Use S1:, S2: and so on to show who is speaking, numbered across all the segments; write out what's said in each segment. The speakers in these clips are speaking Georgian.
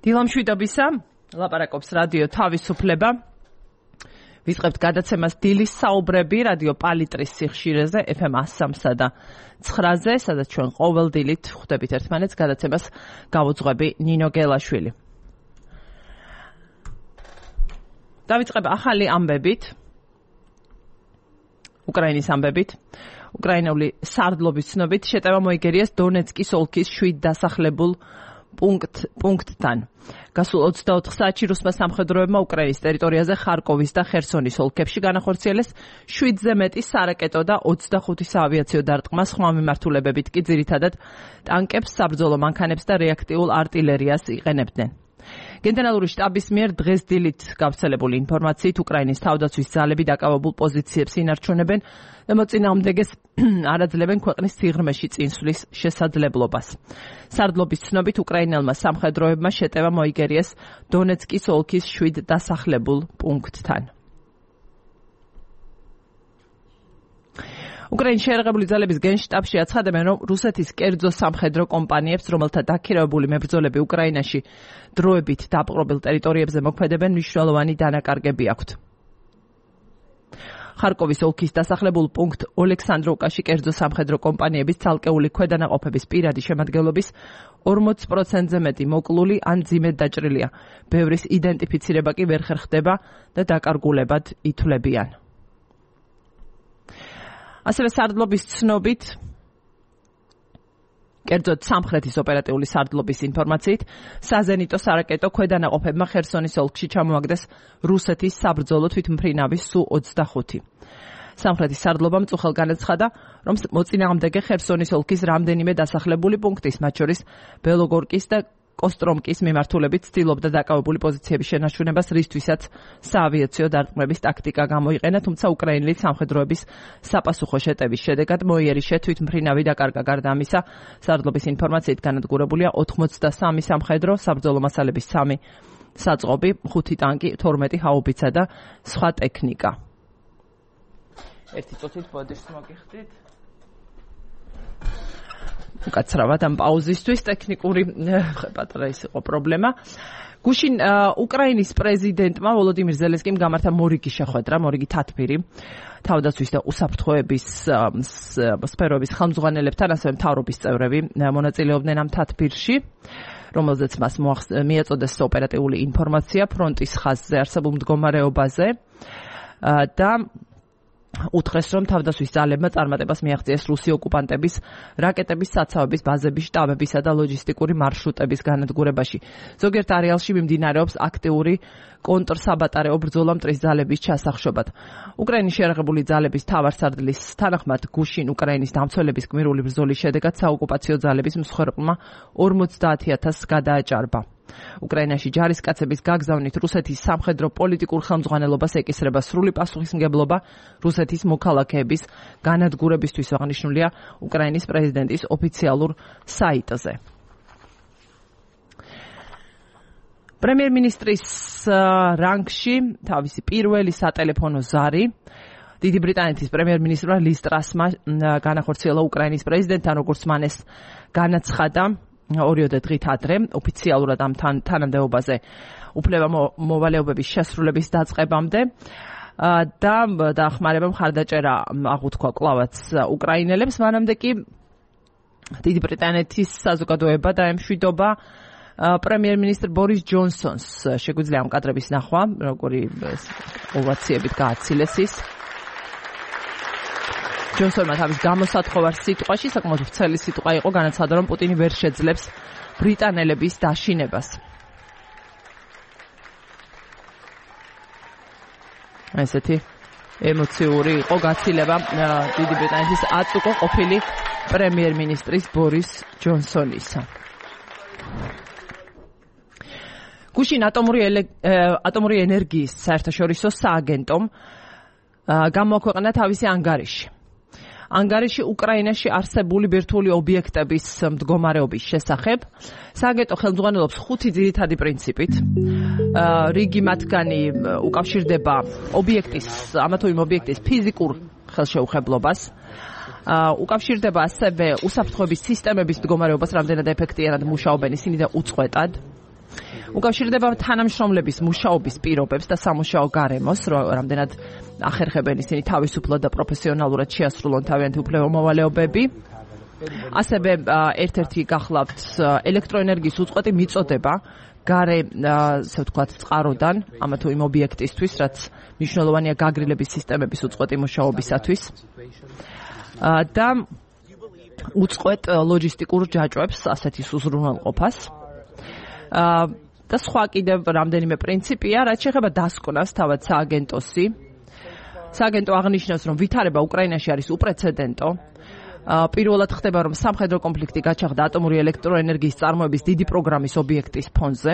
S1: დილამშვიდობისა, ლაპარაკობს რადიო თავისუფლება. ვიწყებთ გადაცემას დილის საუბრები რადიო პალიტრის სიხშირეზე FM 103 და 9-ზე, სადაც ჩვენ ყოველ დილით ხვდებით ერთმანეთს. გადაცემას გავუძღვები ნინო გელაშვილი. დავიწყებ ახალი ამბებით. უკრაინის ამბებით. უკრაინული სარდლობის ცნობით შეტევა მოიგერიეს დონეცკის ოლქის 7 დასახლებულ პუნქტთან. გასულ 24 საათში რუსმა სამხედროებმა უკრაინის ტერიტორიაზე ხარკოვის და ხერსონის ოლქებში განახორციელეს 7-ზე მეტი სარაკეტო და 25 საავიაციო დარტყმა, სხვა მიმართულებებით კი ძირითადად ტანკებს, საბრძოლო მანქანებს და რეაქტიულ არტილერიას იყენებდნენ. გენერალური შტაბის მიერ დღეს დილით გავრცელებული ინფორმაციით უკრაინის თავდაცვის ძალები დაკავებულ პოზიციებს ინარჩუნებენ და მოწინააღმდეგეს არაძლევენ ქვეყნის სიღრმეში წინსვლის შესაძლებლობას. სარდლობის ცნობით უკრაინელმა სამხედროებმა შეტევა მოიგერიეს დონეცკის ოლქის 7 დასახლებულ პუნქტთან. უკრაინის შეერაღებული ძალების გენშტაბში აცხადებენ, რომ რუსეთის კერძო სამხედრო კომპანიებს, რომელთა დაქირავებული მებრძოლები უკრაინაში დროებით დაპყრობილ ტერიტორიებზე მოქმედებენ, მნიშვნელოვანი დანაკარგები აქვთ. ხარკოვის ოლქის დასახლებულ პუნქტ ოლექსანდროვკაში კერძო სამხედრო კომპანიების ცალკეული ქვედანაყოფების პირადი შემადგენლობის 40%-ზე მეტი მოკლული ან ძიმედ დაჭრილია. ბევრის იდენტიფიცირება კი ვერ ხერხდება და დაკარგულებად ითვლებიან. ასევე სარდლობის ცნობით, კერძოდ სამხრეთის ოპერატიული სარდლობის ინფორმაციით, საზენიტო სარაკეტო ქვედანაყოფებმა ხერსონის ოლქში ჩამოაგდეს რუსეთის საბრძოლო თვითმფრინავის Su-25. სამხრეთის სარდლობამ მწუხელ განაცხადა, რომ მოწინააღმდეგე ხერსონის ოლქის რამდენიმე დასახლებული პუნქტის, მათ შორის ბელოგორკის და კოსტრომკის მიმართულებით ცდილობდა დაკავებული პოზიციების შენარჩუნებას, რისთვისაც საავიაციო დარტყმების ტაქტიკა გამოიყენა, თუმცა უკრაინელი სამხედროების საპასუხო შეტევის შედეგად მოიერიშე თვითმფრინავი დაკარგა. გარდა ამისა, სარდლობის ინფორმაციით განადგურებულია 83 სამხედრო, საბრძოლო მასალების 3 საწყობი, 5 ტანკი, 12 ჰაუბიცა და სხვა ტექნიკა. ერთი წუთით ბოდიშს მოგიხდით. უკაცრავად ამ პაუზისთვის ტექნიკური პატარა ის იყო პრობლემა. გუშინ უკრაინის პრეზიდენტმა ვოლოდიმირ ზელენსკიმ გამართა მორიგი შეხვედრა, მორიგი თათბირი თავდაცვის და უსაფრთხოების სფეროების ხელმძღვანელებთან, ასევე მთავრობის წევრები მონაწილეობდნენ ამ თათბირში, რომელზეც მას მიაწოდეს ოპერატიული ინფორმაცია ფრონტის ხაზზე არსებულ მდგომარეობაზე და უთხრეს, რომ თავდაცვის ძალებმა წარმატებას მიაღწიეს რუსი ოკუპანტების რაკეტების საცავების, ბაზების, შტაბებისა და ლოჯისტიკური მარშრუტების განადგურებაში. ზოგიერთ არეალში მიმდინარეობს აქტიური კონტრსაბატარეო ბრძოლა მტრის ძალების ჩასახშობად. უკრაინის შეერაღებული ძალების მთავარსარდლის თანახმად, გუშინ უკრაინის დამცველების გმირული ბრძოლის შედეგად საოკუპაციო ძალების მსხვერპლმა 50,000 გადააჭარბა. უკრაინაში ჯარისკაცების გაგზავნით რუსეთის სამხედრო პოლიტიკურ ხელმძღვანელობას ეკისრება სრული პასუხისმგებლობა რუსეთის მოქალაქეების განადგურებისთვის, აღნიშნულია უკრაინის პრეზიდენტის ოფიციალურ საიტზე. პრემიერ-მინისტრის რანგში თავისი პირველი სატელეფონო ზარი დიდი ბრიტანეთის პრემიერ-მინისტრმა ლის ტრასმა განახორციელა უკრაინის პრეზიდენტთან, როგორც მან ეს განაცხადა 2 დღით ადრე ოფიციალურად ამ თანამდებობაზე უფლება მოვალეობების შესრულების დაწყებამდე და დახმარება მხარდაჭერა აღუთქვა კლავაც უკრაინელებს. მანამდე კი დიდი ბრიტანეთის საზოგადოება დაემშვიდობა პრემიერ-მინისტრ ბორის ჯონსონს. შეგვიძლია ამ კადრების ნახვა, როგორი ოვაციებით გააცილეს ის. ჯონსონმა თავის გამოსათხოვარ სიტყვაში, საკმაოდ ვრცელი სიტყვა იყო, განაცხადა, რომ პუტინი ვერ შეძლებს ბრიტანელების დაშინებას. ესეთი ემოციური იყო გაცილება დიდი ბრიტანეთის აწუყო ყოფილი პრემიერ-მინისტრის ბორის ჯონსონისა. გუშინ ატომური ენერგიის საერთაშორისო სააგენტომ გამოაქვეყნა თავისი ანგარიში. ანგარიში უკრაინაში არსებული ბირთვული ობიექტების მდგომარეობის შესახებ. სააგენტო ხელმძღვანელობს 5 ძირითადი პრინციპით. რიგი მათგანი უკავშირდება ამა თუ იმ ობიექტის ფიზიკურ ხელშეუხებლობას. უკავშირდება ასევე უსაფრთხოების სისტემების მდგომარეობას, რამდენად ეფექტიანად მუშაობენ ისინი და უწყვეტად. უკავშირდება თანამშრომლების მუშაობის პირობებს და სამუშაო გარემოს, რამდენად ახერხებენ ისინი თავისუფლად და პროფესიონალურად შეასრულონ თავიანთი უფლებამოვალეობები. ასევე ერთ-ერთი გახლავთ ელექტროენერგიის უწყვეტი მიწოდება გარე, ასე ვთქვათ, წყაროდან, ამა თუ იმ ობიექტისთვის, რაც მნიშვნელოვანია გაგრილების სისტემების უწყვეტი მუშაობისათვის. და უწყვეტ ლოჯისტიკურ ჯაჭვებს, ასეთი უზრუნველყოფას. და სხვა კიდევ რამდენიმე პრინციპია, რაც შეეხება დასკვნას თავად სააგენტოსი. სააგენტო აღნიშნავს, რომ ვითარება უკრაინაში არის უპრეცედენტო. პირველად ხდება, რომ სამხედრო კონფლიქტი გაჩაღდა ატომური ელექტროენერგიის წარმოების დიდი პროგრამის ობიექტის ფონზე.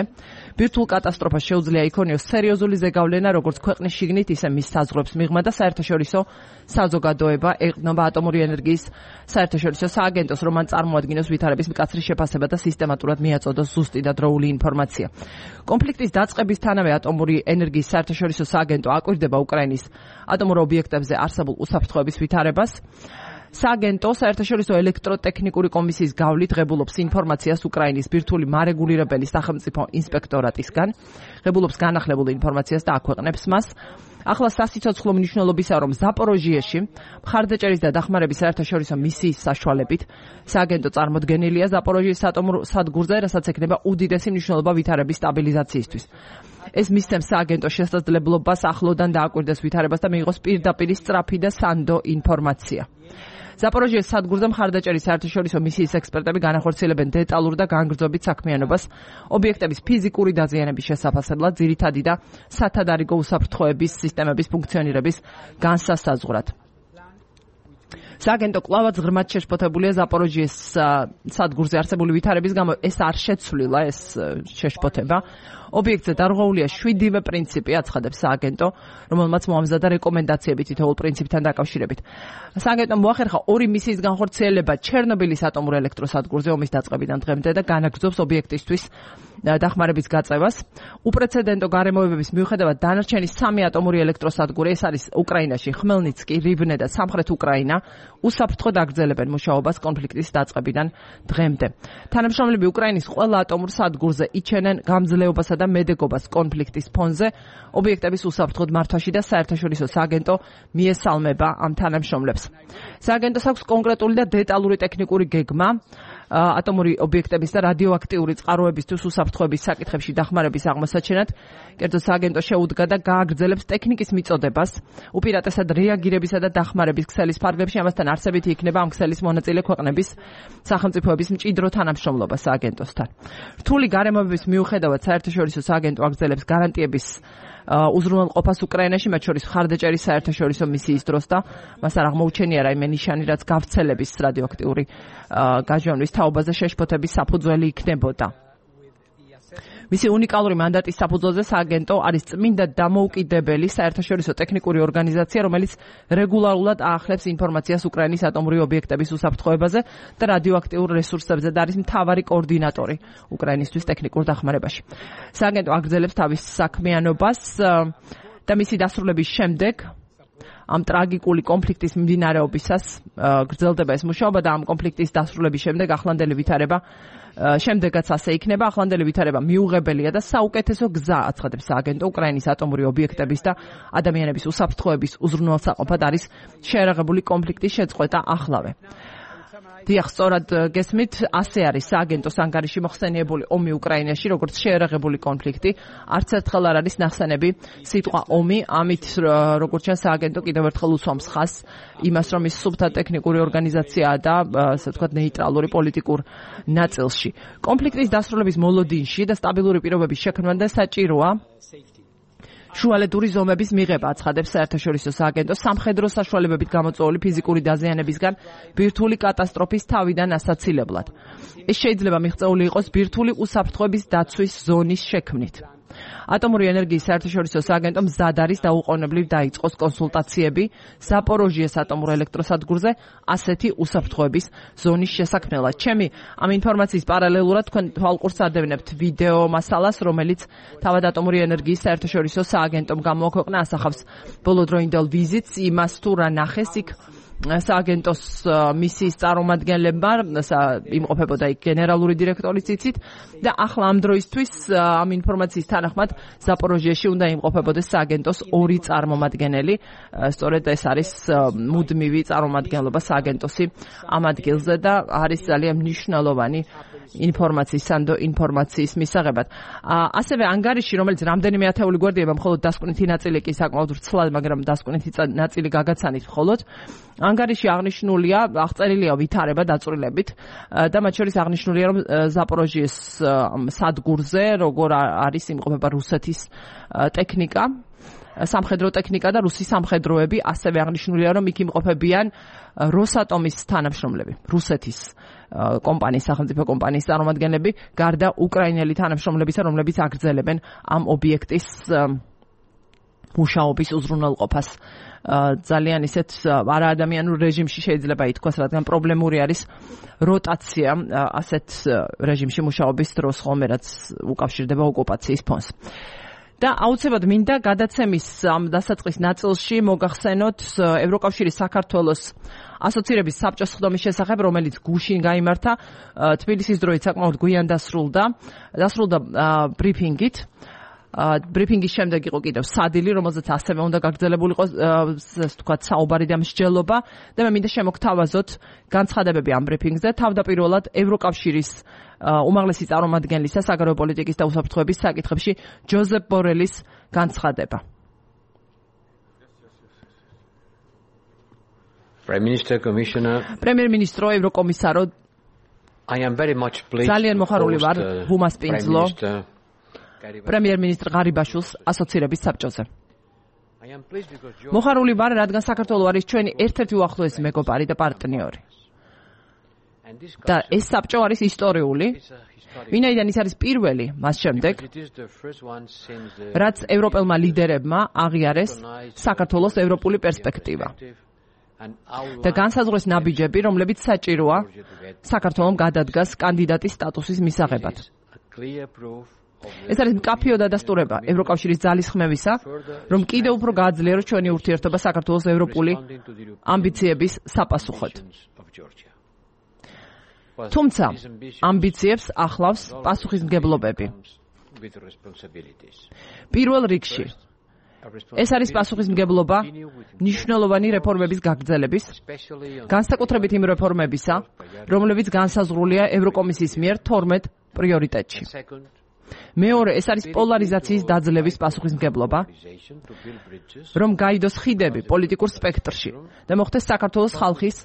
S1: ბირთვულ კატასტროფას შეუძლია იქონიოს სერიოზული ზეგავლენა როგორც ქვეყნის შიგნით, ისე მის საზღვრებს მიღმა და საერთაშორისო საზოგადოება ეყრდნობა ატომური ენერგიის საერთაშორისო სააგენტოს, რომ მან წარმოადგინოს ვითარების მკაცრი შეფასება და სისტემატურად მიაწოდოს ზუსტი და დროული ინფორმაცია. კონფლიქტის დაწყებისთანავე ატომური ენერგიის საერთაშორისო სააგენტო აკვირდება უკრაინის ატომურ ობიექტებზე არსებულ უსაფრთხოების ვითარებას. სააგენტო საერთაშორისო ელექტროტექნიკური კომისიის გავლით ღებულობს ინფორმაციას უკრაინის ბირთვული მარეგულირებელი სახელმწიფო ინსპექტორატისგან, ღებულობს განახლებულ ინფორმაციას და აქვეყნებს მას. ახლა სასიცოცხლო მნიშვნელობისაა, რომ ზაპოროჟიეში მხარდაჭერის და დახმარების საერთაშორისო მისიის საშუალებით სააგენტო წარმოდგენილია ზაპოროჟიის ატომურ სადგურზე, რასაც ექნება უდიდესი მნიშვნელობა ვითარების სტაბილიზაციისთვის. ეს მისცემს სააგენტოს შესაძლებლობას ახლოდან დააკვირდეს ვითარებას და მიიღოს პირდაპირ სწრაფი და სანდო ინფორმაცია. ზაპოროჟიეს სადგურზე მხარდაჭერის საერთაშორისო მისიის ექსპერტები განახორციელებენ დეტალურ და განგრძობით საქმიანობას ობიექტების ფიზიკური დაზიანების შესაფასებლად, ძირითადი და სათადარიგო უსაფრთხოების სისტემების ფუნქციონირების განსასაზღვრად. სააგენტო კვლავაც ღრმად შეშფოთებულია ზაპოროჟიეს სადგურზე არსებული ვითარების გამო, ეს არ შეცვლილა, ეს შეშფოთება. ობიექტზე დარღვეულია 7-ვე პრინციპი, აცხადებს სააგენტო, რომელმაც მოამზადა რეკომენდაციები თითოეულ პრინციპთან დაკავშირებით. სააგენტომ მოახერხა 2 მისიის განხორციელება ჩერნობილის ატომურ ელექტროსადგურზე ომის დაწყებიდან დღემდე და განაგრძობს ობიექტისთვის დახმარების გაწევას. უპრეცედენტო გარემოებების მიუხედავად დანარჩენი 3 ატომური ელექტროსადგური, ეს არის უკრაინაში ხმელნიცკი, რივნე და სამხრეთ უკრაინა, უსაფრთხოდ აგრძელებენ მუშაობას კონფლიქტის დაწყებიდან დღემდე. თანამშრომლები უკრაინის ყველა ატომურ სადგურზე იჩენენ გამძლეობასა და მედეგობას კონფლიქტის ფონზე, ობიექტების უსაფრთხოდ მართვაში და საერთაშორისო სააგენტო მიესალმება ამ თანამშრომლებს. სააგენტოს აქვს კონკრეტული და დეტალური ტექნიკური გეგმა ატომური ობიექტების და რადიოაქტიური წყაროებისთვის უსაფრთხოების საკითხებში დახმარების აღმოსაჩენად. კერძო სააგენტო შეუდგა და გააგრძელებს ტექნიკის მიწოდებას, უპირატესად რეაგირებისა და დახმარების ქსელის ფარგლებში, ამასთან არსებითი იქნება ამ ქსელის მონაწილე ქვეყნების სახელმწიფოების მჭიდრო თანამშრომლობა სააგენტოსთან. რთული გარემოებების მიუხედავად საერთაშორისო სააგენტო აგრძელებს გარანტიების უზრუნველყოფას უკრაინაში, მათ შორის მხარდაჭერის საერთაშორისო მისიის დროს და მას არ აღმოუჩენია რაიმე ნიშანი, რაც გავრცელების რადიოაქტიური გაჟონვის თაობაზე შეშფოთების საფუძველი იქნებოდა. მისი უნიკალური მანდატის საფუძველზე სააგენტო არის წმინდა დამოუკიდებელი საერთაშორისო ტექნიკური ორგანიზაცია, რომელიც რეგულარულად აახლებს ინფორმაციას უკრაინის ატომური ობიექტების უსაფრთხოებაზე და რადიოაქტიურ რესურსებზე და არის მთავარი კოორდინატორი უკრაინისთვის ტექნიკურ დახმარებაში. სააგენტო აგრძელებს თავის საქმიანობას და მისი დასრულების შემდეგ ამ ტრაგიკული კონფლიქტის მიმდინარეობისას გრძელდება ეს მუშაობა და ამ კონფლიქტის დასრულების შემდეგ ახლანდელი ვითარება შემდეგაც ასე იქნება. ახლანდელი ვითარება მიუღებელია და საუკეთესო გზა, აცხადებს სააგენტო, უკრაინის ატომური ობიექტების და ადამიანების უსაფრთხოების უზრუნველსაყოფად არის შეერაღებული კონფლიქტის შეწყვეტა ახლავე. დიახ, სწორად გესმით, ასე არის სააგენტოს ანგარიში მოხსენიებული ომი უკრაინაში, როგორც შეერაღებული კონფლიქტი. არც ერთხელ არ არის ნახსენები სიტყვა ომი, ამით როგორც ჩანს სააგენტო კიდევ ერთხელ უსვამს ხაზს იმას, რომ ის სუფთა ტექნიკური ორგანიზაციაა და ასე ვთქვათ ნეიტრალური პოლიტიკურ ნაწილში. კონფლიქტის დასრულების მოლოდინში და სტაბილური პირობების შექმნამდე საჭიროა შუალედური ზომების მიღება, აცხადებს საერთაშორისო სააგენტო, სამხედრო საშუალებებით გამოწვეული ფიზიკური დაზიანებისგან ბირთვული კატასტროფის თავიდან ასაცილებლად. ეს შეიძლება მიღწეული იყოს ბირთვული უსაფრთხოების დაცვის ზონის შექმნით. ატომური ენერგიის საერთაშორისო სააგენტო მზად არის დაუყოვნებლივ დაიწყოს კონსულტაციები ზაპოროჟიეს ატომურ ელექტროსადგურზე ასეთი უსაფრთხოების ზონის შესაქმნელად. ჩემი ამ ინფორმაციის პარალელურად თქვენ თვალყურს ადევნებთ ვიდეო მასალას, რომელიც თავად ატომური ენერგიის საერთაშორისო სააგენტომ გამოაქვეყნა, ასახავს ბოლოდროინდელ ვიზიტს, იმას თუ რა ნახეს იქ სააგენტოს მისიის წარმომადგენლებმა იმყოფებოდა იქ გენერალური დირექტორის ციცით და ახლა ამ დროისთვის ამ ინფორმაციის თანახმად ზაპოროჟიეში უნდა იმყოფებოდეს სააგენტოს 2 წარმომადგენელი. სწორედ ეს არის მუდმივი წარმომადგენლობა სააგენტოსი ამ ადგილზე და არის ძალიან მნიშვნელოვანი ინფორმაციის მისაღებად. ასევე ანგარიში, რომელიც რამდენიმე ათეული გვერდია, მხოლოდ დასკვნითი ნაწილი კი საკმაოდ ვრცლად, მაგრამ დასკვნითი ნაწილი გაგაცანით მხოლოდ. ანგარიში აღნიშნულია, აღწერილია ვითარება დაწვრილებით და მათ შორის აღნიშნულია, რომ ზაპოროჟიეს სადგურზე როგორ არის იმყოფება რუსეთის ტექნიკა, სამხედრო ტექნიკა და რუსი სამხედროები, ასევე აღნიშნულია, რომ იქ იმყოფებიან როსატომის თანამშრომლები, რუსეთის კომპანიის, სახელმწიფო კომპანიის წარმომადგენლები, გარდა უკრაინელი თანამშრომლებისა, რომლებიც აგრძელებენ ამ ობიექტის მუშაობის უზრუნველყოფას. ძალიან ისეთ არაადამიანურ რეჟიმში შეიძლება ითქვას, რადგან პრობლემური არის როტაცია ასეთ რეჟიმში მუშაობის დროს, ხოლმე რაც უკავშირდება ოკუპაციის ფონს. და აუცილებლად მინდა გადაცემის ამ დასაწყის ნაწილში მოგახსენოთ ევროკავშირის საქართველოს ასოცირების საბჭოს ხდომის შესახებ, რომელიც გუშინ გაიმართა თბილისის დროით საკმაოდ გვიან დასრულდა ბრიფინგით. ბრიფინგის შემდეგ იყო კიდევ სადილი, რომელზეც ასევე უნდა გაგრძელებულიყო თქვა საუბარი და მსჯელობა და მე მინდა შემოგთავაზოთ განცხადებები ამ ბრიფინგზე. თავდაპირველად ევროკავშირის უმაღლესი წარმომადგენლისა საგარეო პოლიტიკის და უსაფრთხოების საკითხებში ჯოზეფ ბორელის განცხადება. პრემიერ-მინისტრო, ევროკომისარო, ძალიან მოხარული ვარ ვუმასპინძლო პრემიერ-მინისტრ ღარიბაშვილს ასოცირების საბჭოზე. მოხარული ვარ, რადგან საქართველო არის ჩვენი ერთ-ერთი უახლოესი მეგობარი და პარტნიორი. და ეს საბჭო არის ისტორიული, ვინაიდან ის არის პირველი მას შემდეგ, რაც ევროპელმა ლიდერებმა აღიარეს საქართველოს ევროპული პერსპექტივა და განსაზღვრეს ნაბიჯები, რომლებიც საჭიროა საქართველომ გადადგას კანდიდატის სტატუსის მისაღებად. ეს არის მკაფიო დადასტურება ევროკავშირის ძალისხმევისა, რომ კიდევ უფრო გააძლიეროს ჩვენი ურთიერთობა საქართველოს ევროპული ამბიციების საპასუხოდ. თუმცა ამბიციებს ახლავს პასუხისმგებლობები. პირველ რიგში ეს არის პასუხისმგებლობა მნიშვნელოვანი რეფორმების გაგრძელების, განსაკუთრებით იმ რეფორმებისა, რომლებიც განსაზღვრულია ევროკომისიის მიერ 12 პრიორიტეტში. მეორე, ეს არის პოლარიზაციის დაძლევის პასუხისმგებლობა, რომ გაიდოს ხიდები პოლიტიკურ სპექტრში და მოხდეს საქართველოს ხალხის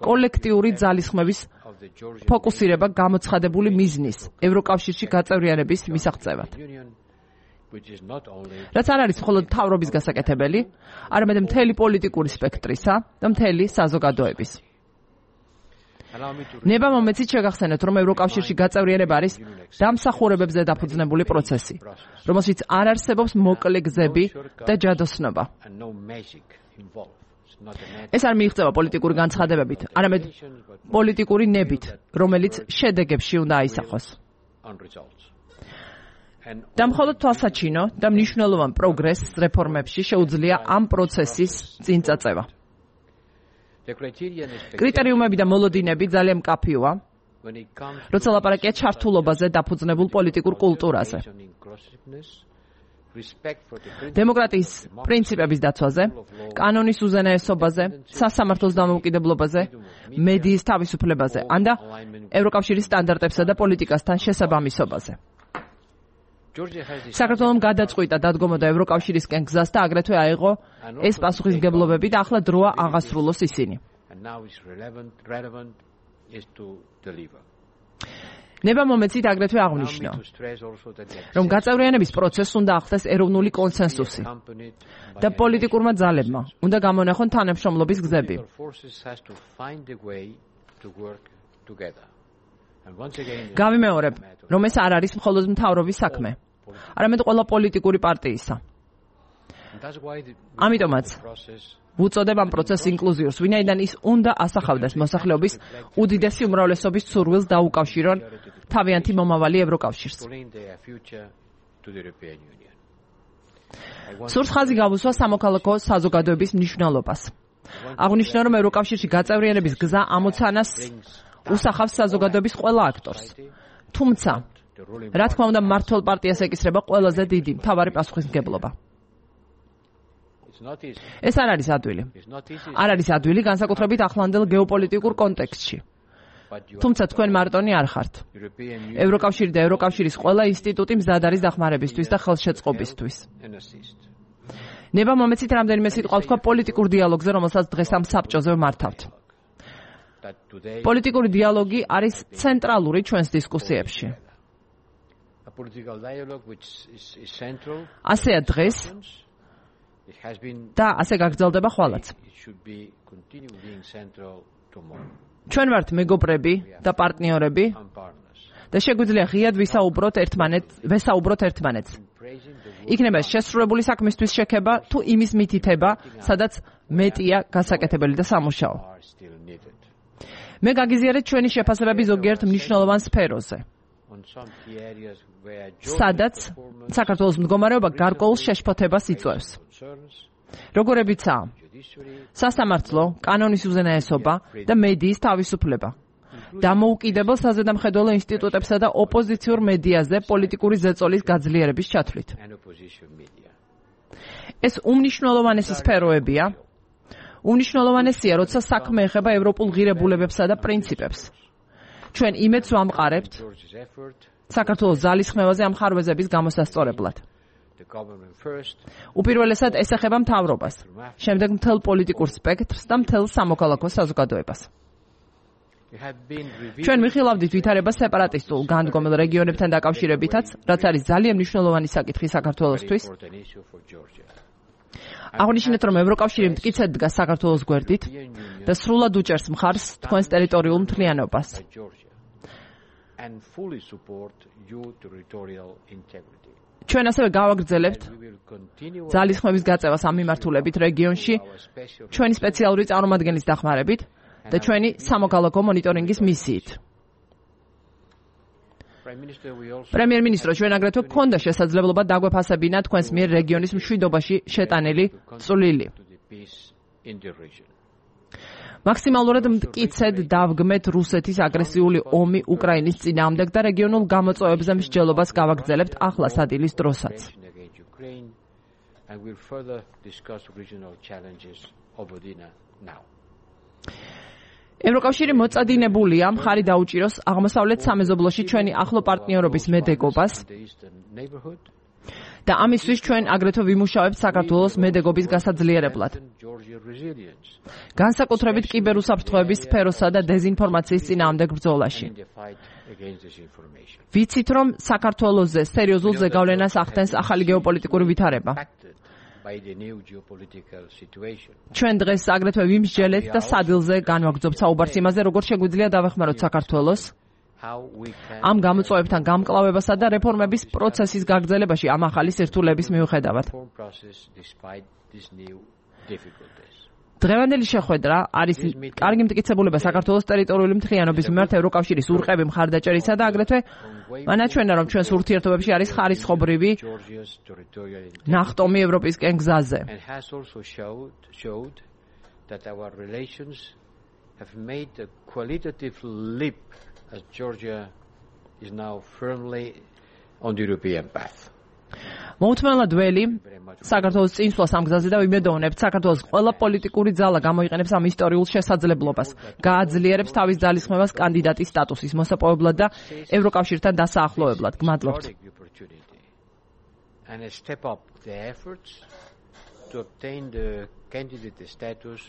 S1: კოლექტიური ძალისხმევის ფოკუსირება გამოცხადებული მიზნის ევროკავშირში გაწევრიანების მისაღწევად. რაც არ არის მხოლოდ მთავრობის გასაკეთებელი, არამედ მთელი პოლიტიკური სპექტრისა და მთელი საზოგადოების. ნება მომეცით შეგახსენოთ, რომ ევროკავშირში გაწევრიანება არის დამსახურებებზე დაფუძნებული პროცესი, რომელშიც არ არსებობს მოკლე გზები და ჯადოსნობა. ეს არ მიიღწევა პოლიტიკური განცხადებებით, არამედ პოლიტიკური ნებით, რომელიც შედეგებში უნდა აისახოს. და მხოლოდ თვალსაჩინო და მნიშვნელოვან პროგრესს რეფორმებში შეუძლია ამ პროცესის წინწაწევა. კრიტერიუმები და მოლოდინები ძალიან მკაფიოა, როცა ლაპარაკია ჩართულობაზე დაფუძნებულ პოლიტიკურ კულტურაზე, დემოკრატიის პრინციპების დაცვაზე, კანონის უზენაესობაზე, სასამართლოს დამოუკიდებლობაზე, მედიის თავისუფლებაზე, ანდა ევროკავშირის სტანდარტებსა და პოლიტიკასთან შესაბამისობაზე. საქართველომ გადაწყვიტა დადგომოდა ევროკავშირისკენ გზას და აგრეთვე აიღო ეს პასუხისმგებლობები და ახლა დროა აღასრულოს ისინი. ნება მომეცით აგრეთვე აღნიშნო, რომ გაწევრიანების პროცესს უნდა ახდას ეროვნული კონსენსუსი და პოლიტიკურმა ძალებმა უნდა გამონახონ თანამშრომლობის გზები. გავიმეორებ, რომ ეს არ არის მხოლოდ მთავრობის საქმე, არამედ ყველა პოლიტიკური პარტიისა. ამიტომაც ვუწოდებ ამ პროცესს ინკლუზიურს, ვინაიდან ის უნდა ასახავდეს მოსახლეობის უდიდესი უმრავლესობის სურვილს დაუკავშირონ თავიანთი მომავალი ევროკავშირს. სურს ხაზი გავუსვა სამოქალაქო საზოგადოების მნიშვნელობას. აღნიშნა, რომ ევროკავშირში გაწევრიანების გზა ამოცანას უსახავს საზოგადოების ყველა აქტორს. თუმცა, რა თქმა უნდა, მმართველ პარტიას ეკისრება ყველაზე დიდი მთავარი პასუხისმგებლობა. ეს არ არის ადვილი. არ არის ადვილი განსაკუთრებით ახლანდელ გეოპოლიტიკურ კონტექსტში. თუმცა თქვენ მარტონი არ ხართ. ევროკავშირი და ევროკავშირის ყველა ინსტიტუტი მზად არის დახმარებისთვის და ხელშეწყობისთვის. ნება მომეცით რამდენიმე სიტყვა ვთქვა პოლიტიკურ დიალოგზე, რომელსაც დღეს ამ საბჭოზე ვმართავთ. პოლიტიკური დიალოგი არის ცენტრალური ჩვენს დისკუსიებში. ასეა დღეს და ასე გაგრძელდება ხვალაც. ჩვენ ვართ მეგობრები და პარტნიორები და შეგვიძლია ღიად ვესაუბროთ ერთმანეთს. იქნება შესრულებული საქმისთვის შექება თუ იმის მითითება, სადაც მეტია გასაკეთებელი და სამუშაო. მე გაგიზიარეთ ჩვენი შეფასებები ზოგიერთ მნიშვნელოვან სფეროზე, სადაც საქართველოს მდგომარეობა გარკვეულ შეშფოთებას იწვევს. როგორებიცაა სასამართლო, კანონის უზენაესობა და მედიის თავისუფლება. დამოუკიდებელ საზედამხედველო ინსტიტუტებსა და ოპოზიციურ მედიაზე პოლიტიკური ზეწოლის გაძლიერების ჩათვლით. ეს უმნიშვნელოვანესი სფეროებია. უმნიშვნელოვანესია, როცა საქმე ეხება ევროპულ ღირებულებებსა და პრინციპებს. ჩვენ იმედს ვამყარებთ საქართველოს ძალისხმევაზე ამ ხარვეზების გამოსასწორებლად. უპირველესად ეს ეხება მთავრობას, შემდეგ მთელ პოლიტიკურ სპექტრს და მთელ სამოქალაქო საზოგადოებას. ჩვენ ვიხილავდით ვითარებას სეპარატისტულ განდგომილ რეგიონებთან დაკავშირებითაც, რაც არის ძალიან მნიშვნელოვანი საკითხი საქართველოსთვის. აღნიშნეთ, რომ ევროკავშირი მტკიცედ დგას საქართველოს გვერდით და სრულად უჭერს მხარს თქვენს ტერიტორიულ მთლიანობას. ჩვენ ასევე გავაგრძელებთ ძალისხმევის გაწევას ამ მიმართულებით რეგიონში, ჩვენი სპეციალური წარმომადგენლის დახმარებით და ჩვენი სამოქალაქო მონიტორინგის მისიით. პრემიერ-მინისტრო, ჩვენ აგრეთვე გქონდა შესაძლებლობა დაგვეფასებინა თქვენს მიერ რეგიონის მშვიდობაში შეტანილი წვლილი. მაქსიმალურად მტკიცედ დავგმეთ რუსეთის აგრესიული ომი უკრაინის წინააღმდეგ და რეგიონულ გამოწვევებზე მსჯელობას გავაგრძელებთ ახლა სადილის დროსაც. ევროკავშირი მოწადინებულია მხარი დაუჭიროს აღმოსავლეთ სამეზობლოში ჩვენი ახლო პარტნიორობის მედეგობას და ამისთვის ჩვენ აგრეთვე ვიმუშავებთ საქართველოს მედეგობის გასაძლიერებლად. განსაკუთრებით კიბერუსაფრთხოების სფეროსა და დეზინფორმაციის წინააღმდეგ ბრძოლაში. ვიცით, რომ საქართველოზე სერიოზულ ზეგავლენას ახდენს ახალი გეოპოლიტიკური ვითარება. ჩვენ დღეს აგრეთვე ვიმსჯელეთ და სადილზე განვაგრძობთ საუბარს იმაზე, როგორ შეგვიძლია დავეხმაროთ საქართველოს ამ გამოწვევებთან გამკლავებასა და რეფორმების პროცესის გაგრძელებაში ამ ახალი სირთულეების მიუხედავად. დღევანდელი შეხვედრა არის კარგი მტკიცებულება საქართველოს ტერიტორიული მთლიანობის მიმართ ევროკავშირის ურყევი მხარდაჭერისა და აგრეთვე მანაჩვენა, რომ ჩვენს ურთიერთობებში არის ხარისხობრივი ნახტომი ევროპისკენ გზაზე.
S2: As Georgia is now firmly on the European path.
S1: მოუთმენლად ველი საქართველოს წინსვლას ამ გზაზე და ვიმედოვნებთ საქართველოს ყველა პოლიტიკური ძალა გამოიყენებს ამ ისტორიულ შესაძლებლობას, გააძლიერებს თავის ძალისხმევას კანდიდატის სტატუსის მოსაპოვებლად და ევროკავშირთან დასაახლოებლად. გმადლობთ.
S2: And step up the efforts to obtain the candidate status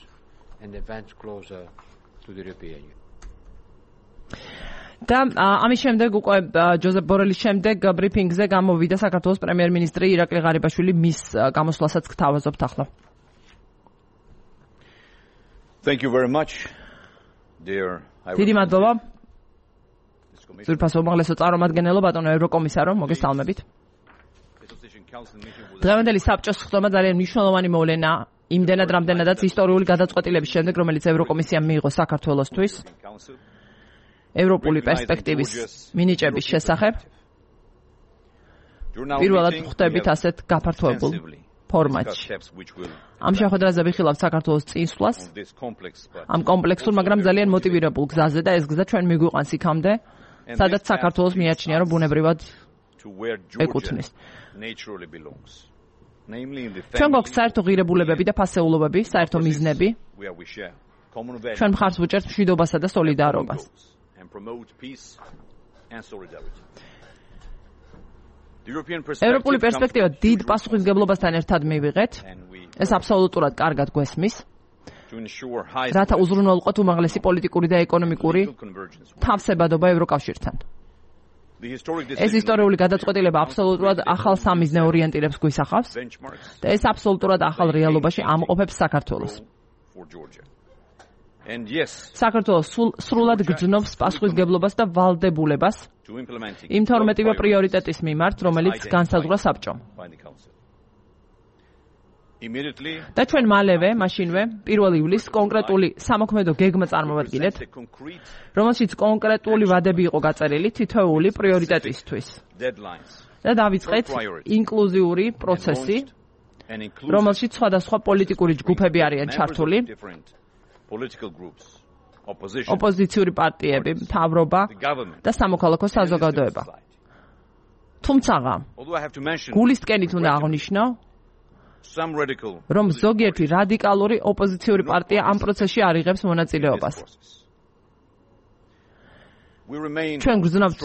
S2: and advance closer to the European Union.
S1: და ამის შემდეგ უკვე ჯოზეფ ბორელის შემდეგ ბრიფინგზე გამოვიდა საქართველოს პრემიერ-მინისტრი ირაკლი ღარიბაშვილი, მის გამოსვლასაც გთავაზობთ ახლა.
S3: Thank you very much, dear.
S1: დიდი მადლობა. ძვირფასო უმაღლესო წარმომადგენლო, ბატონო ევროკომისარო, მოგესალმებით. დღევანდელი საბჭოს ხდომა ძალიან მნიშვნელოვანი მოვლენა, იმდენად რამდენადაც ისტორიული გადაწყვეტილების შემდეგ, რომელიც ევროკომისიამ მიიღო საქართველოსთვის. ევროპული პერსპექტივის მინიჭების შესახებ. პირველად ხვდებით ასეთ გაფართოებულ ფორმატში. ამ შეხვედრაზე ვიხილავთ საქართველოს წინსვლას, ამ კომპლექსურ, მაგრამ ძალიან მოტივირებულ გზაზე და ეს გზა ჩვენ მიგვიყვანს იქამდე, სადაც საქართველოს მიაჩნია, რომ ბუნებრივად ეკუთვნის. ჩვენ გვაქვს საერთო ღირებულებები და ფასეულობები, საერთო მიზნები. ჩვენ მხარს ვუჭერთ მშვიდობასა და სოლიდარობას. ევროპული პერსპექტივა დიდ პასუხისმგებლობასთან ერთად მივიღეთ. ეს აბსოლუტურად კარგად გვესმის. რათა უზრუნველყოთ უმაღლესი პოლიტიკური და ეკონომიკური თავსებადობა ევროკავშირთან. ეს ისტორიული გადაწყვეტილება აბსოლუტურად ახალ სამიზნე ორიენტირებს გვისახავს და ეს აბსოლუტურად ახალ რეალობაში ამყოფებს საქართველოს. საქართველოს სრულად გრძნობს პასუხისმგებლობას და ვალდებულებას იმ 12 პრიორიტეტის მიმართ, რომელიც განსაზღვრა საბჭომ. და ჩვენ მალევე, მაშინვე, 1 ივლისს კონკრეტული სამოქმედო გეგმა წარმოვადგინეთ, რომელშიც კონკრეტული ვადები იყო გაწერილი თითოეული პრიორიტეტისთვის. და დავიწყეთ ინკლუზიური პროცესი, რომელშიც სხვადასხვა პოლიტიკური ჯგუფები არიან ჩართული. ოპოზიციური პარტიები, მთავრობა და სამოქალაქო საზოგადოება. თუმცა, გულისკენით უნდა აღვნიშნო, რომ ზოგიერთი რადიკალური ოპოზიციური პარტია ამ პროცესში არ იღებს მონაწილეობას. ჩვენ გრძნობთ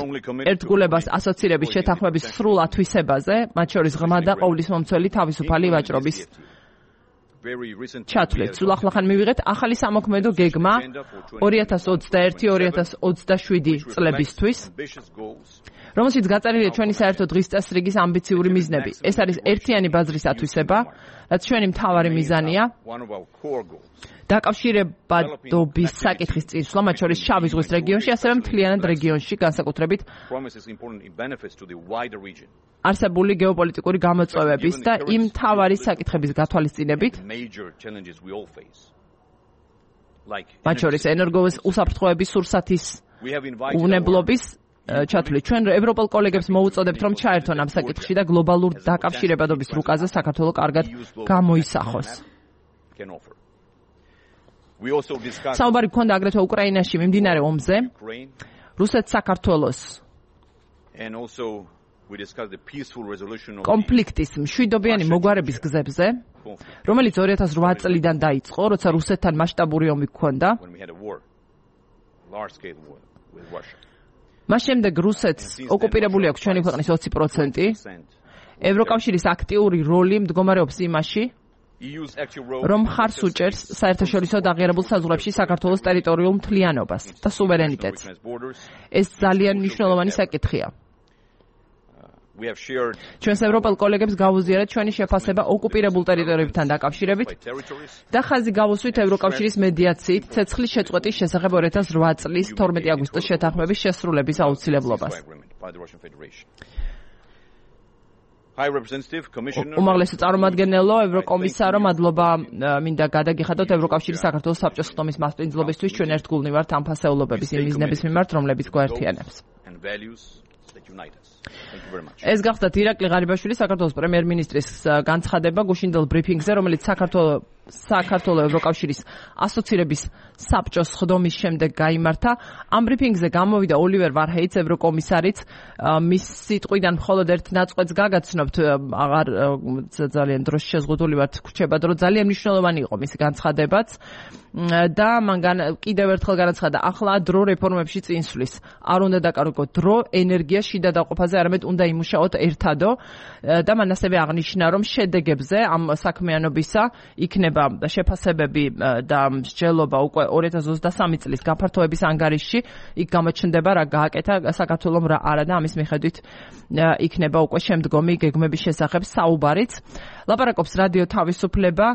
S1: ერთგულებას ასოცირების შეთანხმების სრულ ათვისებაზე, მათ შორის ღრმა და ყოვლისმომცველი თავისუფალი ვაჭრობის ჩათვლით. სულ ახლახან მივიღეთ ახალი სამოქმედო გეგმა 2021-2027 წლებისთვის, რომელშიც გაწერილია ჩვენი საერთო დღის წესრიგის ამბიციური მიზნები. ეს არის ერთიანი ბაზრის ათვისება, რაც ჩვენი მთავარი მიზანია. დაკავშირებადობის საკითხის წინსვლა, მათ შორის შავი ზღვის რეგიონში, ასევე მთლიანად რეგიონში, განსაკუთრებით არსებული გეოპოლიტიკური გამოწვევების და იმ მთავარი საკითხების გათვალისწინებით, მათ შორის ენერგოს უსაფრთხოების სურსათის უვნებლობის ჩათვლით. ჩვენ ევროპელ კოლეგებს მოუწოდებთ, რომ ჩაერთონ ამ საკითხში და გლობალურ დაკავშირებადობის რუკაზე საქართველო კარგად გამოისახოს. საუბარი გქონდა აგრეთვე უკრაინაში მიმდინარე ომზე, რუსეთ-საქართველოს კონფლიქტის მშვიდობიანი მოგვარების გზებზე, რომელიც 2008 წლიდან დაიწყო, როცა რუსეთთან მასშტაბური ომი გქონდა. მას შემდეგ რუსეთს ოკუპირებული აქვს ჩვენი ქვეყნის 20%. ევროკავშირის აქტიური როლი მდგომარეობს იმაში, რომ მხარს უჭერს საერთაშორისო დაღიარებულ საზღვრებში საქართველოს ტერიტორიულ მთლიანობას და სუვერენიტეტს. ეს ძალიან მნიშვნელოვანი საკითხია. ჩვენს ევროპელ კოლეგებს გავუზიარეთ ჩვენი შეფასება ოკუპირებულ ტერიტორიებთან დაკავშირებით და ხაზი გავუსვით ევროკავშირის მედიაციით ცეცხლის შეწყვეტის შესახებ 2008 წლის 12 აგვისტოს შეთანხმების შესრულების აუცილებლობას. უმაღლესი წარმომადგენლო, ევროკომისარო, მადლობა მინდა გადაგიხადოთ ევროკავშირის საქართველოს საბჭოს ხდომის მასპინძლობისთვის. ჩვენ ერთგულნი ვართ ამ ფასეულობების იმ მიზნების მიმართ, რომლებიც გვაერთიანებს. ეს გახდათ ირაკლი ღარიბაშვილი, საქართველოს პრემიერ-მინისტრის განცხადება გუშინდელ ბრიფინგზე, რომელიც საქართველოს ევროკავშირის ასოცირების საბჭოს ხდომის შემდეგ გაიმართა. ამ ბრიფინგზე გამოვიდა ოლივერ ვარჰეიც, ევროკომისარიც. მის სიტყვიდან მხოლოდ ერთ ნაწყვეტს გაგაცნობთ, აღარ ძალიან დროში შეზღუდული ვართ, გვჩება დრო. ძალიან მნიშვნელოვანი იყო მისი განცხადებაც. და მან კიდევ ერთხელ განაცხადა, ახლა დრო რეფორმებში წინსვლის. არ უნდა დაკარგოთ დრო ენერგიას შიდა დაყოფაზე, არამედ უნდა იმუშაოთ ერთადო. და მან ასევე აღნიშნა, რომ შედეგებზე ამ საქმიანობისა იქნება შეფასებები და მსჯელობა უკვე 2023 წლის გაფართოების ანგარიშში. იქ გამოჩნდება რა გააკეთა საქართველომ, რა არა და ამის მიხედვით იქნება უკვე შემდგომი გეგმების შესახებ საუბარიც. ლაპარაკობს რადიო თავისუფლება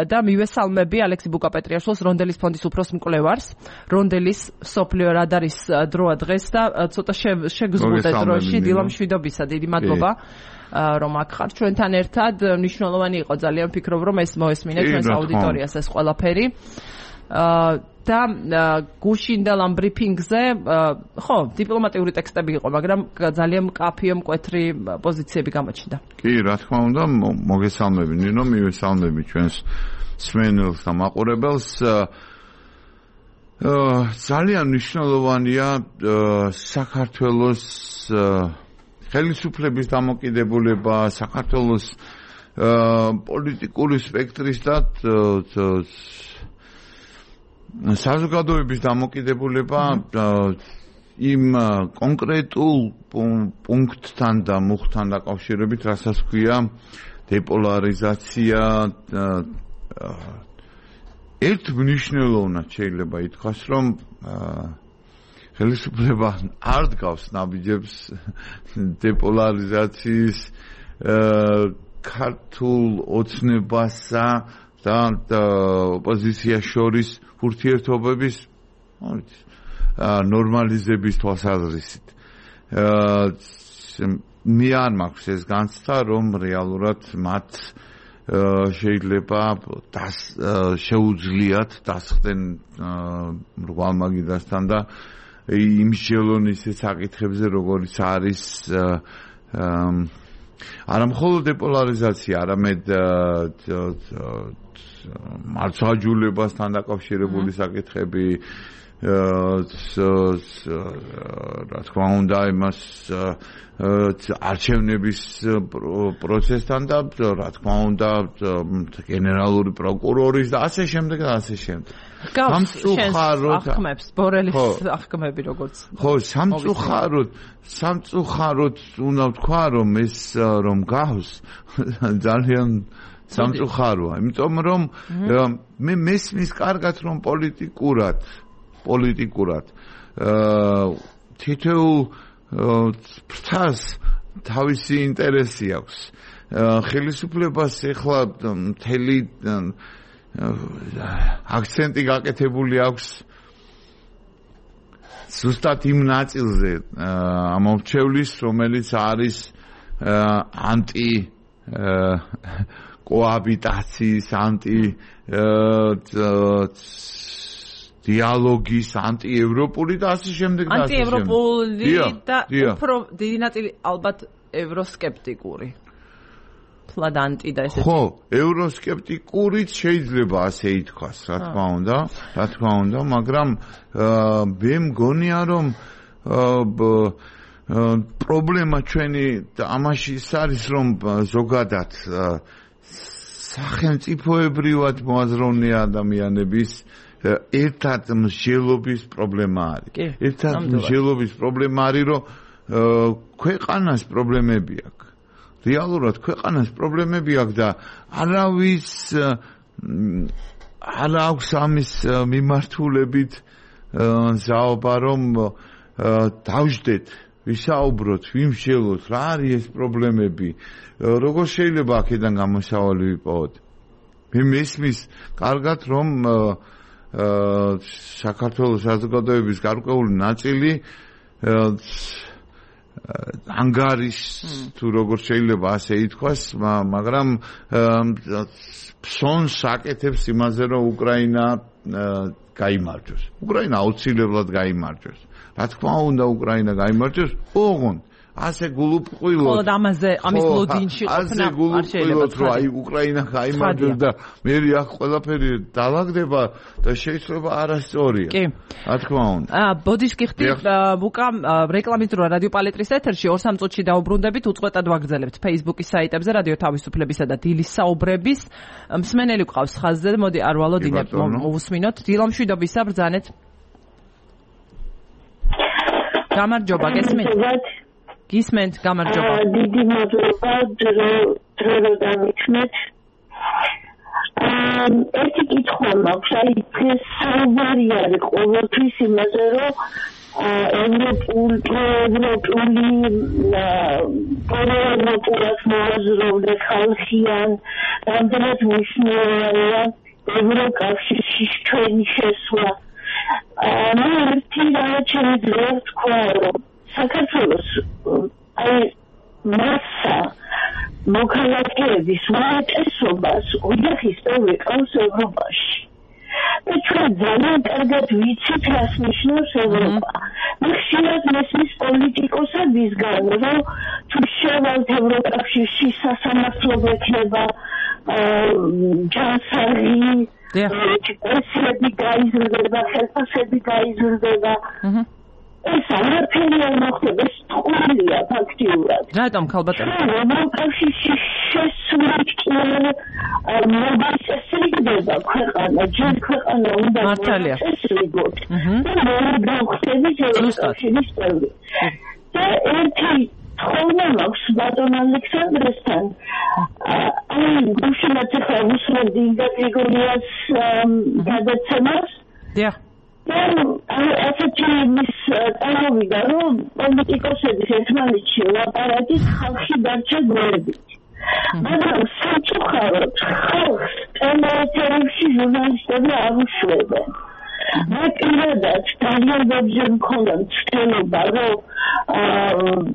S1: და მივესალმები ალექსი ბუკაპეტრიაშვილს, რონდელის ფონდის უფროს მკვლევარს. რონდელის სოფლიო რადარის დროა დღეს და ცოტა შეგზღუდე დროში. დილა მშვიდობისა, დიდი მადლობა რომ აქ ხართ ჩვენთან ერთად. მნიშვნელოვანი იყო ძალიან, ვფიქრობ, რომ ეს მოესმინე ჩვენს აუდიტორიას ეს ყველაფერი. და გუშინდელ ამ ბრიფინგზე ხო დიპლომატიური ტექსტები იყო, მაგრამ ძალიან მკაფიო მკვეთრი პოზიციები გამოჩნდა.
S4: კი, რა თქმა უნდა, მოგესალმები ნინო, მივესალმები ჩვენს სმენელს და მაყურებელს. ძალიან მნიშვნელოვანია საქართველოს ხელისუფლების დამოკიდებულება, საქართველოს პოლიტიკური სპექტრის და საზოგადოების დამოკიდებულება იმ კონკრეტულ პუნქტთან და მუხთან დაკავშირებით, რასაც ქვია დეპოლარიზაცია. ერთ მნიშვნელოვნად შეიძლება ითქვას, რომ ხელისუფლება არ დგავს ნაბიჯებს დეპოლარიზაციის ქართულ ოცნებასა და ოპოზიციას შორის ურთიერთობების ნორმალიზების თვალსაზრისით. მე არ მაქვს ეს განცდა, რომ რეალურად მათ შეიძლება შეუძლიათ დასხდნენ მრგვალმაგიდასთან და იმსჯელონის საკითხებზე, როგორიც არის არა მხოლოდ დეპოლარიზაცია, არამედ მარცვაჯულებასთან დაკავშირებული საკითხები, რა თქმა უნდა, იმას არჩევნების პროცესთან და რა თქმა უნდა გენერალური პროკურორის და ასე შემდეგ და ასე შემდეგ.
S1: ახმებს ბორელის ახმები როგორც.
S4: ხო, სამწუხაროდ უნდა ვთქვა, რომ ეს რომ გავს ძალიან სამწუხაროა, იმიტომ რომ მე მესმის კარგად, რომ პოლიტიკურად თითოეულ ფრთას თავისი ინტერესი აქვს. ხელისუფლებას ეხლა მთელი აქცენტი გაკეთებული აქვს ზუსტად იმ ნაწილზე ამორჩევლის, რომელიც არის ანტი კოაბიტაციის, ანტი დიალოგის, ანტიევროპული და ასე შემდეგ და ასე შემდეგ.
S1: ანტიევროპული და უფრო დიდი ნაწილი ალბათ ევროსკეპტიკური. ფლად ანტი და ესეთი.
S4: ხო, ევროსკეპტიკურიც შეიძლება ასე ითქვას, რა თქმა უნდა, მაგრამ მე მგონია, რომ პრობლემა ჩვენი ამაში ის არის, რომ ზოგადად სახელმწიფოებრივად მოაზროვნე ადამიანების ერთად მსჯელობის პრობლემა არის. ერთად მსჯელობის პრობლემა არის, რომ ქვეყანას პრობლემები აქვს. რეალურად ქვეყანას პრობლემები აქვს და არავის არ აქვს ამის მიმართულებით ზაობა, რომ დავждეთ, ვისაუბროთ, ვიმსჯელოთ, რა არის ეს პრობლემები, როგორ შეიძლება აქედან გამოსავალი ვიპოვოთ. მე მესმის კარგად, რომ საქართველოს საზოგადოების გარკვეული ნაწილი ანგარის თუ როგორ შეიძლება ასე ითქვას, მაგრამ ფსონს აკეთებს იმაზე, რომ უკრაინა გაიმარჯვოს. უკრაინა აუცილებლად გაიმარჯვოს. რა თქმა უნდა, უკრაინა გაიმარჯვოს, ოღონდ ასე გულუბრყვილოდ.
S1: ხოლო ამის ლოდინში ყოფნა არ შეიძლება.
S4: რომ აი უკრაინა გაიმარჯვოს და მე აქ ყველაფერი დაალაგდება და შეიძლება არასწორია.
S1: კი.
S4: რა თქმა უნდა.
S1: ბოდიშ გიხდით ბუკა რეკლამის დრო რადიო პალეტრის ეთერში 2-3 წუთში დაუბრუნდებით, უწყვეტად ვაგრძელებთ Facebook-ის საიტებზე რადიო თავისუფლებისა და დილის საუბრების. მსმენელი გვყავს ხაზზე, მოდი არ ვალოდინებ, მოვუსმინოთ. დილომშვიდობისა ბრძანეთ. გამარჯობა, გესმენთ? გისმენთ, გამარჯობა.
S5: დიდი მადლობა, დრო დამიქმნეთ. ერთი კითხვა მაქვს, აი დღეს საუბარი არის ყოველთვის იმაზე, რომ ევროპულად მოაზროვნე ხალხიან, რამდენად მნიშვნელოვანია ევროკავშირში ჩვენი შესვლა. მე ერთი რამე შემიძლია ვთქვა, რომ საქართველოს აი მასა მოქალაქეების უმეტესობას ოჯახის წევრი ყავს ევროპაში ჩვენ ძალიან კარგად ვიცით, რას ნიშნავს ევროპა. ხშირად მესმის პოლიტიკოსებისგან, რომ თუ შევალთ ევროკავშირში სასამართლო ექნება ჯანსაღი, ესები გაიზრდება, ხელფასები გაიზრდება. ეს არაფერი არ მოხდება, ეს ტყუილია ფაქტიურად.
S1: რატომ ქალბატონო?
S5: ევროკავშირში შესვლით კი მოგწესრიგდება ქვეყანა, ჯერ ქვეყანა უნდა მოწესრიგოთ. და გავხდებით ევროკავშირის წევრი. და ერთი თხოვნა მაქვს ბატონ ალექსანდრესთან. აი, უშუალოდ ახლა უსმენდი ინგა გრიგორიას გადაცემას.
S1: დიახ.
S5: ასეთი მის წარმოვიდა, რომ პოლიტიკოსების ერთმანეთში ლაპარაკის ხალხი დარჩა გვერდით. მაგრამ სამწუხაროდ ხალხს ტელეეთერებში ჟურნალისტები არ უშვებენ. მე პირადად ძალიან ბევრჯერ მქონდა მცდელობა, რომ